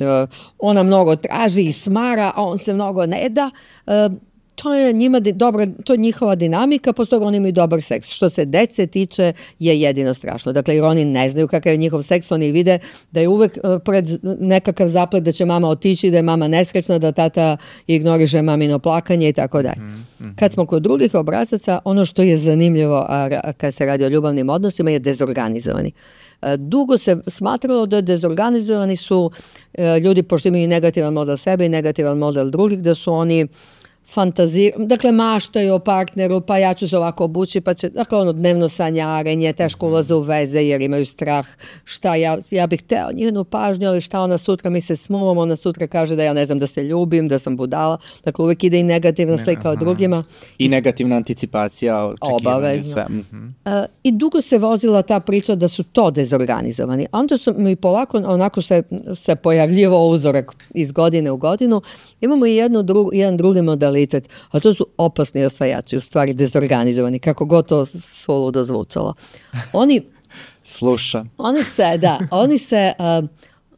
ona mnogo traži i smara, a on se mnogo ne da, uh, to je njima dobra, to je njihova dinamika, posto toga oni imaju dobar seks. Što se dece tiče je jedino strašno. Dakle, jer oni ne znaju kakav je njihov seks, oni vide da je uvek pred nekakav zaplet da će mama otići, da je mama nesrećna, da tata ignoriše mamino plakanje i tako dalje. Mm-hmm. Kad smo kod drugih obrazaca, ono što je zanimljivo a kad se radi o ljubavnim odnosima je dezorganizovani. Dugo se smatralo da dezorganizovani su ljudi, pošto imaju negativan model sebe i negativan model drugih, da su oni fantaziraju, dakle maštaju o partneru, pa ja ću se ovako obući, pa će, dakle ono dnevno sanjarenje, teško ulaze u veze jer imaju strah, šta ja, ja bih teo njenu pažnju, ali šta ona sutra mi se smuvam, ona sutra kaže da ja ne znam da se ljubim, da sam budala, dakle uvijek ide i negativna slika ne, o drugima. I negativna anticipacija, očekivanje, sve. Mm-hmm. Uh, I dugo se vozila ta priča da su to dezorganizovani. A onda su mi polako, onako se, se pojavljivao uzorak iz godine u godinu. Imamo i jednu dru, jedan drugi modalitet, a to su opasni osvajači, u stvari dezorganizovani, kako god to suludo zvučalo. Oni sluša. Oni se, da, oni se, uh,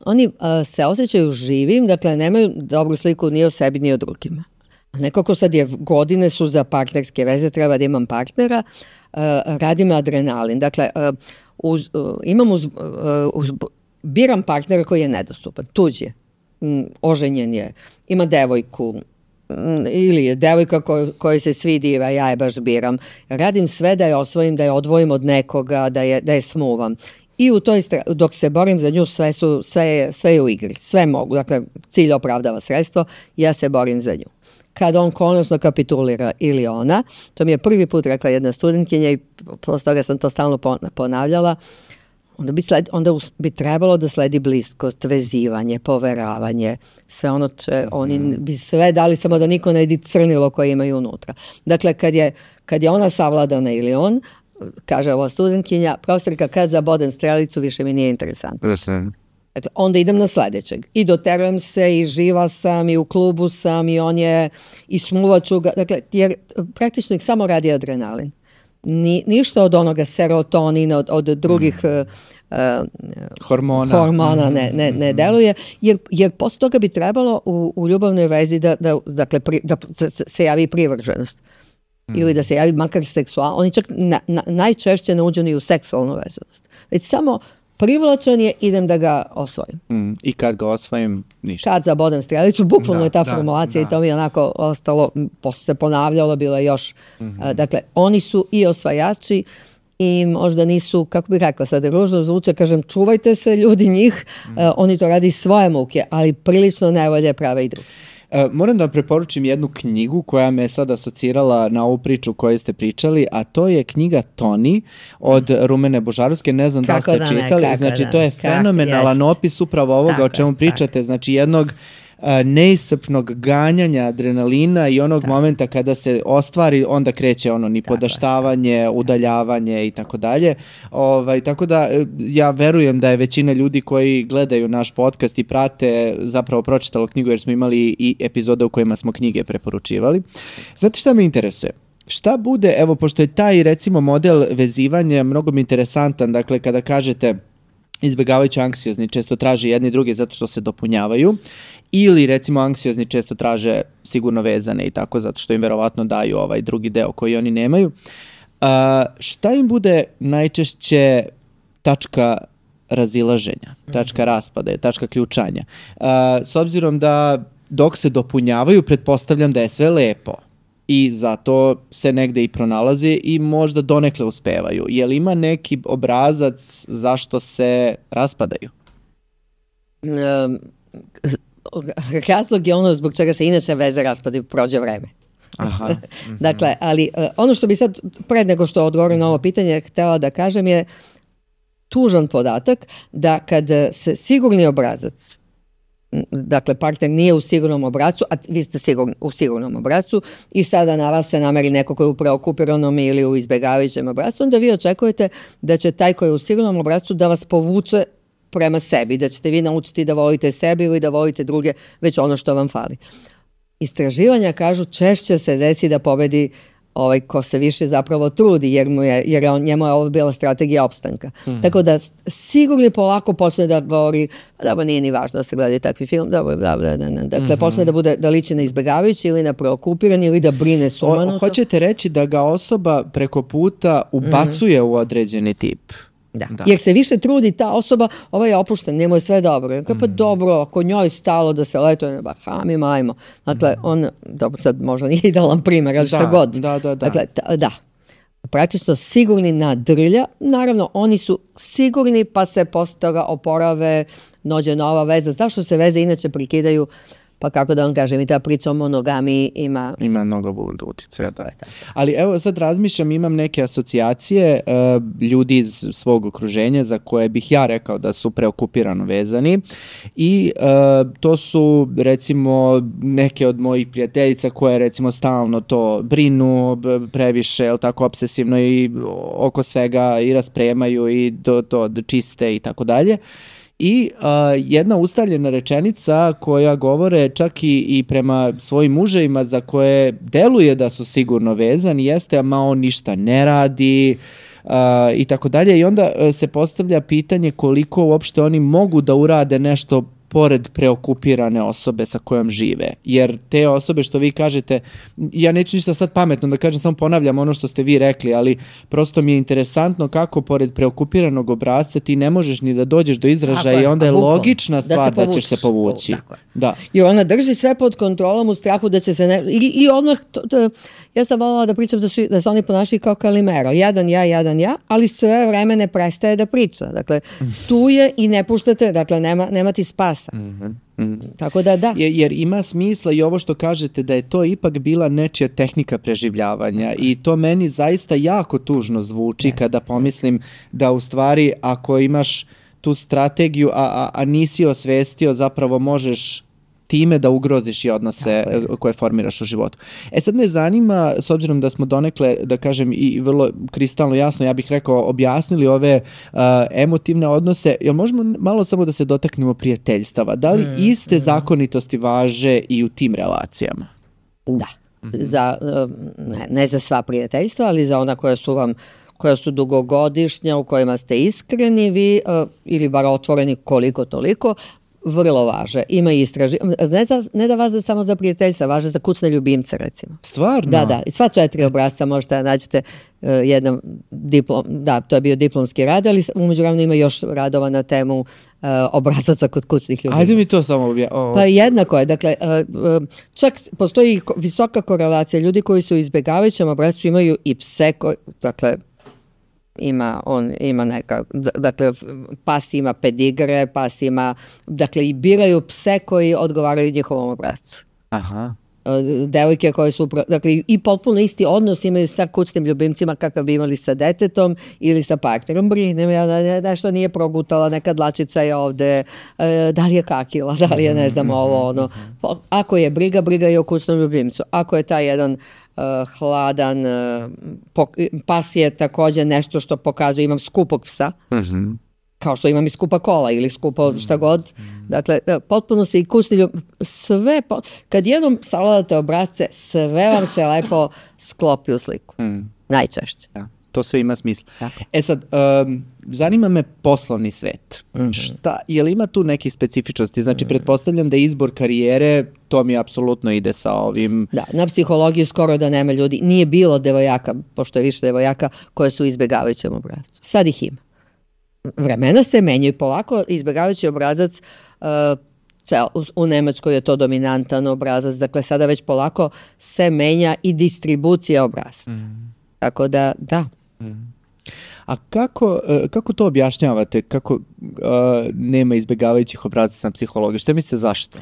oni uh, se osjećaju živim, dakle nemaju dobru sliku ni o sebi ni o drugima. Nekako sad je, godine su za partnerske veze, treba da imam partnera, uh, radim adrenalin. Dakle, uh, uz, uh, imam uz, uh, uz, biram partnera koji je nedostupan, tuđ je, um, oženjen je, ima devojku, ili je devojka koj, kojoj se svidi, a ja je baš biram. Radim sve da je osvojim, da je odvojim od nekoga, da je, da je smuvam. I u toj, dok se borim za nju, sve, su, sve, je, sve je u igri. Sve mogu. Dakle, cilj opravdava sredstvo, ja se borim za nju. Kad on konačno kapitulira ili ona, to mi je prvi put rekla jedna studentkinja i posle toga sam to stalno ponavljala, onda bi, sled, onda bi trebalo da sledi bliskost, vezivanje, poveravanje, sve ono će, oni bi sve dali samo da niko ne vidi crnilo koje imaju unutra. Dakle, kad je, kad je ona savladana ili on, kaže ova studentkinja, profesorka, kad zabodem strelicu, više mi nije interesantno. Dakle, onda idem na sledećeg. I doterujem se, i živa sam, i u klubu sam, i on je, i smuvaću ga. Dakle, jer praktično ih samo radi adrenalin. Ni, ništa od onoga serotonina, od, od drugih mm. uh, hormona, hormona ne, ne, ne deluje, jer, jer posle toga bi trebalo u, u ljubavnoj vezi da, da, dakle, pri, da se javi privrženost. mm. ili da se javi makar seksualno, oni čak na, na, najčešće ne uđu ni u seksualnu vezanost. Već samo privlačan je, idem da ga osvojim. Mm. I kad ga osvojim, ništa. Kad zabodem strelicu, bukvalno da, je ta da, formulacija da. i to mi je onako ostalo, posle se ponavljalo, bilo je još. Mm-hmm. A, dakle, oni su i osvajači i možda nisu, kako bih rekla sad, ružno zvuče, kažem, čuvajte se ljudi njih, mm. uh, oni to radi svoje muke, ali prilično nevolje prave i drugi. E, moram da vam preporučim jednu knjigu koja me sad asocirala na ovu priču koju ste pričali, a to je knjiga Toni od Rumene Božarovske, ne znam kako da ste da čitali, ne, znači da, to je fenomenalan kako, opis upravo ovoga tako, o čemu pričate, tako. Znači jednog neiscrpnog ganjanja adrenalina i onog tako. Momenta kada se ostvari, onda kreće ono nipodaštavanje, tako. Udaljavanje i tako dalje. Ovaj, tako da ja verujem da je većina ljudi koji gledaju naš podcast i prate zapravo pročitalo knjigu jer smo imali i epizode u kojima smo knjige preporučivali. Znate šta me interesuje? Šta bude, evo, pošto je taj recimo model vezivanja mnogo mi interesantan, dakle kada kažete izbjegavajući anksiozni često traže jedni drugi zato što se dopunjavaju ili recimo anksiozni često traže sigurno vezane i tako zato što im verovatno daju ovaj drugi deo koji oni nemaju. Uh, šta im bude najčešće tačka razilaženja, tačka raspada, tačka ključanja? Uh, s obzirom da dok se dopunjavaju pretpostavljam da je sve lepo i zato se negde i pronalaze i možda donekle uspevaju. Je li ima neki obrazac zašto se raspadaju? Um, razlog je ono zbog čega se inače veze raspadaju, prođe vreme. Aha. Mm-hmm. Dakle, ali ono što bi sad, pred nego što odgovorim na ovo pitanje, htela da kažem je tužan podatak da kad se sigurni obrazac, dakle partner nije u sigurnom obrascu, a vi ste sigurni, u sigurnom obrascu i sada na vas se nameri neko koji je u preokupiranom ili u izbjegavajućem obrascu, onda vi očekujete da će taj koji je u sigurnom obrascu da vas povuče prema sebi, da ćete vi naučiti da volite sebi ili da volite druge, već ono što vam fali. Istraživanja kažu češće se desi da pobedi ovaj ko se više zapravo trudi, jer, mu je, jer on, njemu je ovo bila strategija opstanka. Mm. Tako da sigurno polako počne da govori, da ba nije ni važno da se gledaju takvi film, da ba, da, da, da, da. Dakle, mm-hmm. počne da bude da liči na izbjegavajući ili na preokupiran ili da brine sumanuto. Hoćete reći da ga osoba preko puta ubacuje mm-hmm. u određeni tip? Da. da, jer se više trudi ta osoba, ovaj je opušten, njemu je sve dobro. Jer pa mm. dobro, ako njoj stalo da se letuje na Bahamima, ajmo. Dakle, on, dobro, sad možda nije idealan primjer, ali šta god. Da, da, da. Dakle, ta, da. Praktično sigurni na drlja, naravno, oni su sigurni pa se posle toga oporave, dođe nova veza. Zašto se veze inače prekidaju? Pa kako da vam kažem, i ta priča o monogamiji ima... Ima mnogo utjecaja, da. Ali evo sad razmišljam, imam neke asocijacije uh, ljudi iz svog okruženja za koje bih ja rekao da su preokupirano vezani i uh, to su recimo neke od mojih prijateljica koje recimo stalno to brinu previše, jel tako, obsesivno i oko svega i raspremaju i to, to čiste i tako dalje. I uh, jedna ustaljena rečenica koja govore čak i, i prema svojim muževima za koje deluje da su sigurno vezani jeste, a ma on ništa ne radi uh, i tako dalje. I onda uh, se postavlja pitanje koliko uopšte oni mogu da urade nešto pored preokupirane osobe sa kojom žive. Jer te osobe što vi kažete, ja neću ništa sad pametno da kažem, samo ponavljam ono što ste vi rekli, ali prosto mi je interesantno kako pored preokupiranog obrasca ti ne možeš ni da dođeš do izražaja i onda je bukvalno logična stvar da, da ćeš se povući. Tako je. Da. I ona drži sve pod kontrolom u strahu da će se ne... I, i odmah, to, to, ja sam voljela da pričam da, su, da se oni ponašaju kao Kalimero. Jedan ja, jedan ja, ali sve vreme ne prestaje da priča. Dakle, tu je i ne puštate, dakle, nema, nema ti spas. Mm-hmm. Mm. Tako da da. Jer, jer ima smisla i ovo što kažete da je to ipak bila nečija tehnika preživljavanja i to meni zaista jako tužno zvuči yes. kada pomislim da u stvari ako imaš tu strategiju, a, a, a nisi osvestio, zapravo možeš time da ugroziš i odnose koje formiraš u životu. E sad me zanima, s obzirom da smo donekle, da kažem, i vrlo kristalno jasno, ja bih rekao, objasnili ove uh, emotivne odnose, jel možemo malo samo da se dotaknemo prijateljstava? Da li mm, iste mm. zakonitosti važe i u tim relacijama? Da. Za, ne, ne za sva prijateljstva, ali za ona koja su vam koja su dugogodišnja, u kojima ste iskreni vi, uh, ili bar otvoreni koliko toliko, vrlo važe. Ima istraži. Ne, za, ne da važe samo za prijateljstva, važe za kućne ljubimce, recimo. Stvarno? Da, da. I sva četiri obrazca možete da nađete uh, jedan diplom, da, to je bio diplomski rad, ali umeđu vremenu ima još radova na temu uh, obrazaca kod kućnih ljubimca. Ajde mi to samo obja... Oh. Pa jednako je. Dakle, uh, uh, čak postoji visoka korelacija. Ljudi koji su u izbjegavajućem obrazcu imaju i pse, koji, dakle, ima on ima neka, dakle pas ima pedigre, pas ima, dakle i biraju pse koji odgovaraju njihovom obrascu. Aha. Devojke koje su, dakle i potpuno isti odnos imaju sa kućnim ljubimcima kakav bi imali sa detetom ili sa partnerom. Brinem ja da nešto nije progutala, neka dlačica je ovde, da li je kakila, da li je ne znam ovo ono. Ako je briga, briga je o kućnom ljubimcu. Ako je taj jedan uh, hladan uh, pok- pas je takođe nešto što pokazuje, imam skupog psa, mm-hmm. kao što imam i skupa kola ili skupa šta god. Dakle, potpuno se i kućni ljub... sve, po... kad jednom savladate obrazce, sve vam se lepo sklopi u sliku. Mm. Najčešće. Ja, to sve ima smisla. Tako. E sad, um, zanima me poslovni svet. Mm-hmm. Šta, je li ima tu neke specifičnosti? Znači, mm-hmm. pretpostavljam da izbor karijere, to mi apsolutno ide sa ovim... Da, na psihologiji skoro da nema ljudi. Nije bilo devojaka, pošto je više devojaka, koje su izbjegavajućem obrazcu. Sad ih ima. Vremena se menjaju polako, izbjegavajući obrazac, uh, cel, u, u Nemačkoj je to dominantan obrazac, dakle sada već polako se menja i distribucija obrazaca. Mm. Tako da, da. Mm. A kako, kako to objašnjavate, kako uh, nema izbjegavajućih obrazaca na psihologiji? Šta mislite zašto?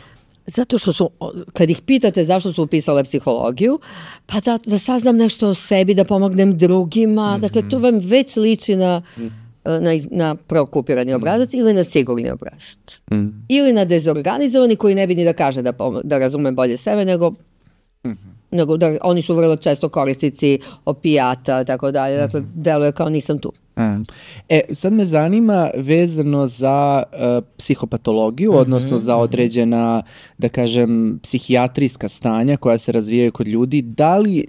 Zato što su, kad ih pitate zašto su upisale psihologiju, pa da, da saznam nešto o sebi, da pomognem drugima, mm-hmm. dakle to vam već liči na... Mm. na, na preokupirani obrazac mm. ili na sigurni obrazac. Mm. Ili na dezorganizovani koji ne bi ni da kaže da, da razume bolje sebe, nego, mm-hmm. nego da oni su vrlo često korisnici opijata, tako dalje. Dakle, mm-hmm. deluje kao nisam tu. Mm. E, sad me zanima vezano za uh, psihopatologiju, mm-hmm. odnosno za određena, da kažem, psihijatrijska stanja koja se razvijaju kod ljudi. Da li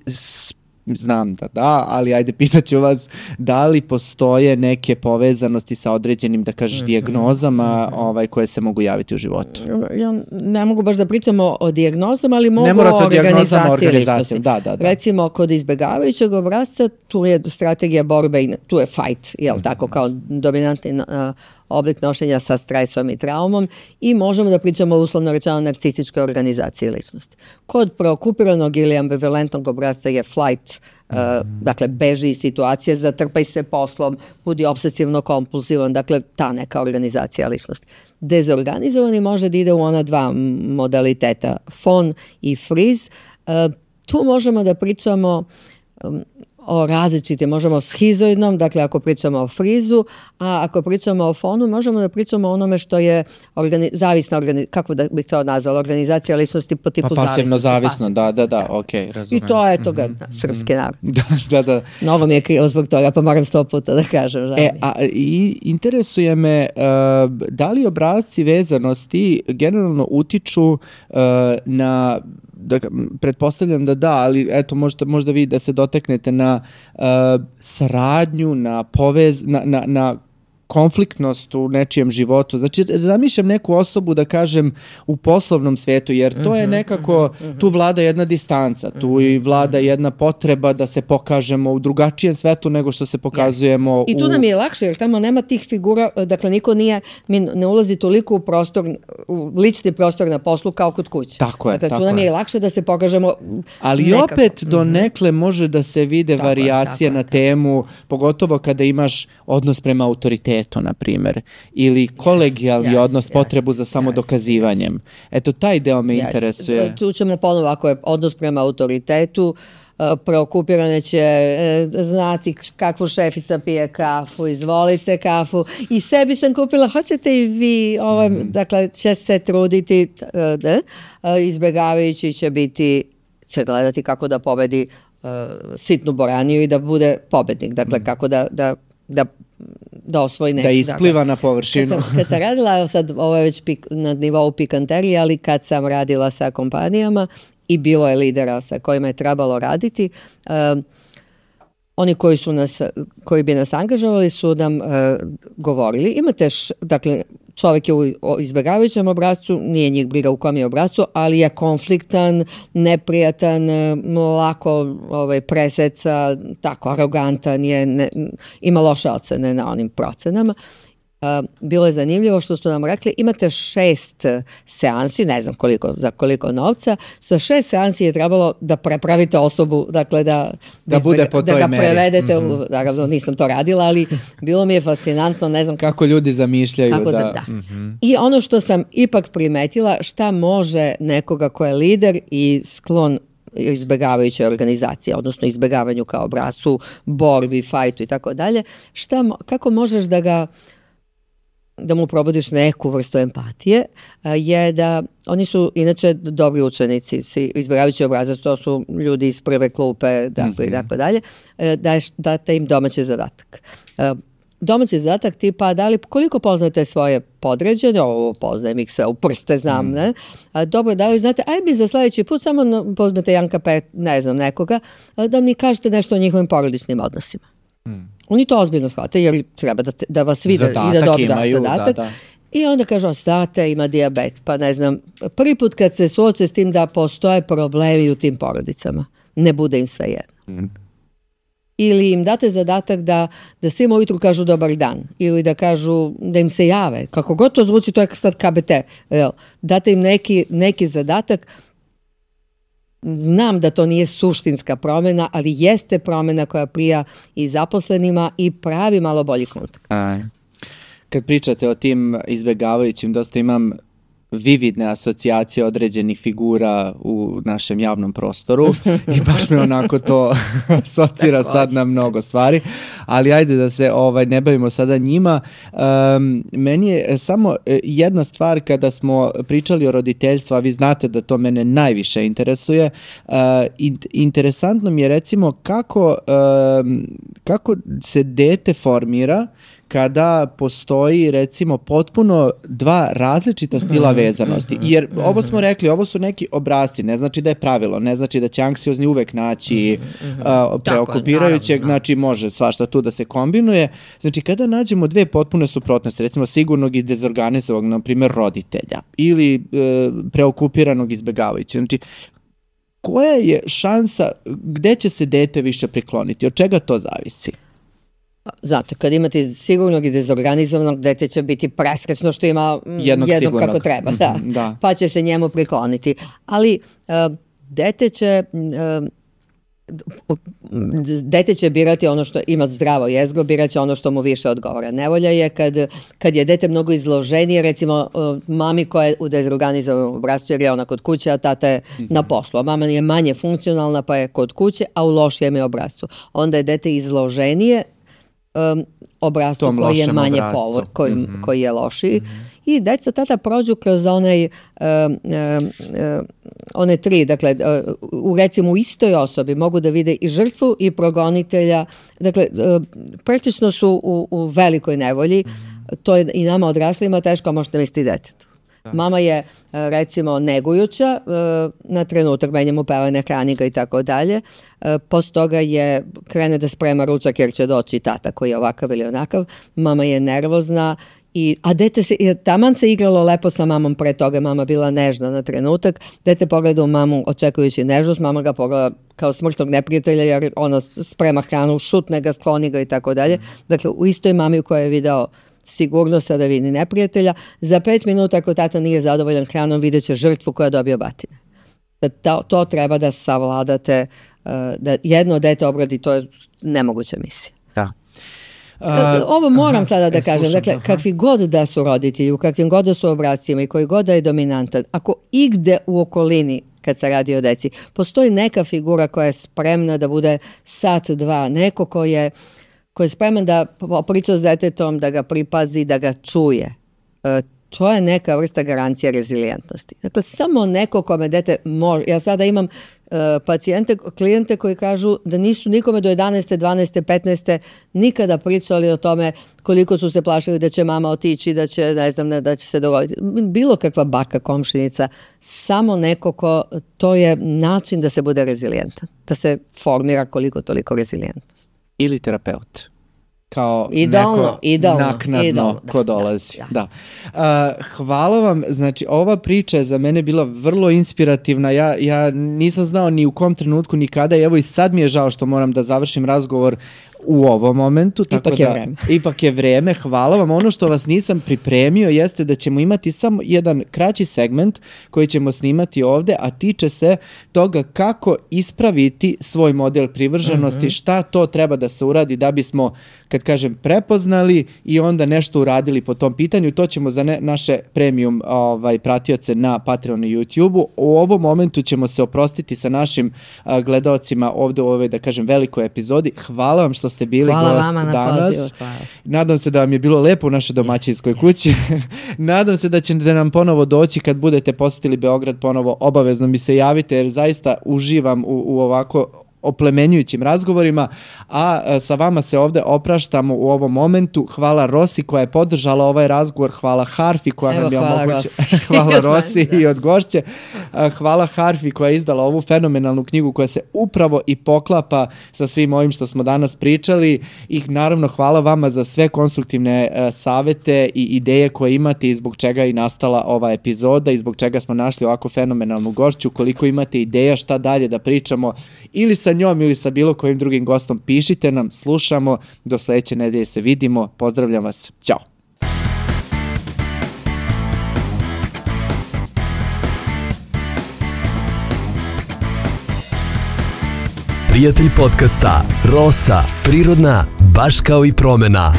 znam da da, ali ajde pitaću vas da li postoje neke povezanosti sa određenim, da kažeš, dijagnozama ovaj, koje se mogu javiti u životu? Ja ne mogu baš da pričamo o dijagnozama, ali mogu o organizaciji ličnosti. Da, da, da. Recimo, kod izbjegavajućeg obrasca, tu je strategija borbe, i tu je fight, jel mm-hmm. tako, kao dominantni uh, oblik nošenja sa stresom i traumom i možemo da pričamo uslovno rečeno narcističkoj organizaciji ličnosti. Kod preokupiranog ili ambivalentnog obrazca je flight, uh, mm-hmm. dakle beži iz situacije, zatrpaj se poslom, budi obsesivno kompulsivan, dakle ta neka organizacija ličnosti. Dezorganizovani može da ide u ona dva modaliteta, fawn i freeze. Uh, tu možemo da pričamo um, o različitim, možemo o schizoidnom, dakle ako pričamo o frizu, a ako pričamo o fonu, možemo da pričamo o onome što je organi- zavisna, organi- kako da bih to nazvala, organizacija ličnosti po tipu pa, pasivno zavisnosti. Zavisno, da, da, da, ok, razumem. I to je toga, mm-hmm. da, srpski narod. Da, da, da. Novo mi je krivo zbog toga, pa moram sto puta da kažem. Žal. E, a i interesuje me, uh, da li obrazci vezanosti generalno utiču uh, na, da, pretpostavljam da da, ali eto možda, možda vi da se doteknete na uh, saradnju, na povez, na, na, na konfliktnost u nečijem životu. Znači, zamišljam neku osobu, da kažem, u poslovnom svetu, jer to je nekako, tu vlada jedna distanca, tu i vlada jedna potreba da se pokažemo u drugačijem svetu nego što se pokazujemo yes. u... I tu nam je lakše, jer tamo nema tih figura, dakle, niko nije, mi ne ulazi toliko u prostor, u lični prostor na poslu kao kod kuće. Tako je, dakle, tako tu nam je je. lakše da se pokažemo ali nekako. opet do nekle može da se vide tako varijacije je, na temu, pogotovo kada imaš odnos prema autoritetu, na primjer, ili kolegijalni yes, odnos, yes, potrebu za samodokazivanjem. Yes, yes. Eto, taj deo me yes. interesuje. Tu ćemo ponovo, ako je odnos prema autoritetu, preokupirane će znati kakvu šefica pije kafu, izvolite kafu, i sebi sam kupila, hoćete i vi, ovaj, mm-hmm. dakle, će se truditi, da, izbjegavajući će biti, će gledati kako da pobedi uh, sitnu boraniju i da bude pobednik, dakle, mm-hmm. kako da, da, da da osvoji neki. Da ispliva dakle, na površinu. Kad sam, kad sam radila, sad ovo je već pik, na nivou pikanterije, ali kad sam radila sa kompanijama i bilo je lidera sa kojima je trebalo raditi, um, oni koji su nas, koji bi nas angažovali su nam uh, govorili, imate, š, dakle, čovjek je u izbjegavajućem obrascu, nije njih briga u kom je obrascu, ali je konfliktan, neprijatan, lako ovaj, preseca, tako arogantan je, ne, ima loše ocene na onim procenama. Uh, bilo je zanimljivo što su nam rekli, imate šest seansi, ne znam koliko, za koliko novca, za šest seansi je trebalo da prepravite osobu, dakle da, da, izbjeg, bude po da toj ga meri. prevedete, Mm-hmm. u, naravno nisam to radila, ali bilo mi je fascinantno, ne znam kako ljudi zamišljaju. kako da. Za, da. Mm-hmm. I ono što sam ipak primetila, šta može nekoga ko je lider i sklon izbjegavajuće organizacije, odnosno izbjegavanju kao obrascu, borbi, fajtu i tako dalje, šta, kako možeš da ga da mu probodiš neku vrstu empatije, je da oni su inače dobri učenici, izbjegavajući obrazac, to su ljudi iz prve klupe, dakle, mm-hmm. i tako dalje, da date im domaći zadatak. Domaći zadatak tipa, da li, koliko poznate svoje podređene, ovo poznajem ih sve u prste, znam, mm. ne? A, dobro, da li znate, aj mi za sljedeći put samo pozmete Janka Pet, ne znam, nekoga, da mi kažete nešto o njihovim porodičnim odnosima. Mm. Oni to ozbiljno shvate jer treba da, te, da vas vide zadatak i da dobro imaju, zadatak. Da, da. I onda kažu, ostate, ima dijabet, pa ne znam, prvi put kad se suoče s tim da postoje problemi u tim porodicama, ne bude im sve jedno. Mm. Ili im date zadatak da, da svima ujutru kažu dobar dan, ili da kažu, da im se jave, kako god to zvuči, to je sad K B T, jel? Date im neki, neki zadatak. Znam da to nije suštinska promjena, ali jeste promjena koja prija i zaposlenima i pravi malo bolji kontakt. Aj. Kad pričate o tim izbjegavajućim, dosta imam vividne asocijacije određenih figura u našem javnom prostoru i baš me onako to asocira sad na mnogo stvari, ali ajde da se ovaj ne bavimo sada njima. Um, meni je samo jedna stvar kada smo pričali o roditeljstvu, a vi znate da to mene najviše interesuje, uh, in, interesantno mi je recimo kako, um, kako se dete formira kada postoji recimo potpuno dva različita stila vezanosti. Jer ovo smo rekli, ovo su neki obrasci, ne znači da je pravilo, ne znači da će anksiozni uvek naći uh, preokupirajućeg, znači može svašta tu da se kombinuje. Znači kada nađemo dve potpune suprotnosti, recimo sigurnog i dezorganizovanog, na primjer roditelja, ili uh, preokupiranog izbjegavajućeg, znači koja je šansa, gde će se dete više prikloniti, od čega to zavisi? Znate, kad imate sigurnog i dezorganizovanog, dete će biti presrećno što ima jednog, jednog kako treba, da. da. Pa će se njemu prikloniti. Ali uh, dete će uh, dete će birati ono što ima zdravo jezgro, birat će ono što mu više odgovara. Nevolja je kad, kad je dete mnogo izloženije, recimo uh, mami koja je u dezorganizovanom obrascu jer je ona kod kuće, a tata je mm-hmm. na poslu. A mama je manje funkcionalna pa je kod kuće, a u lošijem je obrascu. Onda je dete izloženije Um, obrascu koji je manje povor, koji, mm-hmm. koji je lošiji. Mm-hmm. I deca tata prođu kroz onaj, um, um, um, one tri, dakle, uh, u recimo u istoj osobi mogu da vide i žrtvu i progonitelja. Dakle, uh, praktično su u, u velikoj nevolji. Mm-hmm. To je i nama odraslima teško, a možete misliti detetu. Da. Mama je, recimo, negujuća, na trenutak menja mu pelene, hrani ga i tako dalje. Posto toga je, krene da sprema ručak jer će doći tata koji je ovakav ili onakav. Mama je nervozna, i, a dete se, taman se igralo lepo sa mamom pre toga, mama bila nežna na trenutak. Dete pogleda u mamu očekujući nežnost, mama ga pogleda kao smrtnog neprijatelja jer ona sprema hranu, šutne ga, skloni ga i tako dalje. Dakle, u istoj mami u kojoj je video sigurno sada vidi neprijatelja, za pet minuta ako tata nije zadovoljan hranom vidjet će žrtvu koja dobija batine. Da to, to treba da savladate, da jedno dete obradi, to je nemoguća misija. Da. Uh, Ovo moram aha, sada da e, kažem, slušam, dakle, aha. kakvi god da su roditelji, u kakvim god da su obrascima i koji god da je dominantan, ako igde u okolini kad se radi o deci, postoji neka figura koja je spremna da bude sat, dva, neko ko je koji je spreman da priča s detetom, da ga pripazi, da ga čuje. E, to je neka vrsta garancije rezilijentnosti. Dakle, samo neko kome dete može. Ja sada imam e, pacijente, klijente koji kažu da nisu nikome do jedanaeste, dvanaeste, petnaeste nikada pričali o tome koliko su se plašili da će mama otići, da će, ne znam, ne, da će se dogoditi. Bilo kakva baka, komšinica, samo neko ko, to je način da se bude rezilijentan, da se formira koliko toliko rezilijentnost. Ili terapeut. kao idolno, neko idolno, naknadno idolno, da, ko dolazi. Da, da. Da. Uh, hvala vam, znači ova priča je za mene bila vrlo inspirativna, ja, ja nisam znao ni u kom trenutku, ni kada, evo i sad mi je žao što moram da završim razgovor u ovom momentu. Tako ipak da, je vreme. Ipak je vreme, hvala vam. Ono što vas nisam pripremio jeste da ćemo imati samo jedan kraći segment koji ćemo snimati ovde, a tiče se toga kako ispraviti svoj model privrženosti, mm-hmm. šta to treba da se uradi da bismo, kad kažem, prepoznali i onda nešto uradili po tom pitanju. To ćemo za ne, naše premium ovaj, pratioce na Patreonu i YouTubeu. U ovom momentu ćemo se oprostiti sa našim a, gledaocima ovde u ovoj, da kažem, velikoj epizodi. Hvala vam što ste bili hvala gost vama na danas. pozivu, hvala. Nadam se da vam je bilo lepo u našoj domaćinskoj kući. Nadam se da ćete nam ponovo doći kad budete posjetili Beograd ponovo. Obavezno mi se javite jer zaista uživam u, u ovako oplemenjujućim razgovorima, a sa vama se ovde opraštamo u ovom momentu. Hvala Rosi koja je podržala ovaj razgovor, hvala Harfi koja Evo, nam je hvala omogućila. Rosi. Hvala Rosi i od gošće. Hvala Harfi koja je izdala ovu fenomenalnu knjigu koja se upravo i poklapa sa svim ovim što smo danas pričali i naravno hvala vama za sve konstruktivne uh, savete i ideje koje imate i zbog čega je i nastala ova epizoda i zbog čega smo našli ovako fenomenalnu gošću. Koliko imate ideja šta dalje da pričamo ili sa njom ili sa bilo kojim drugim gostom, pišite nam, slušamo, do sledeće nedelje se vidimo, pozdravljam vas, ćao. Prijatelj podcasta Rosa, prirodna, baš kao i promena.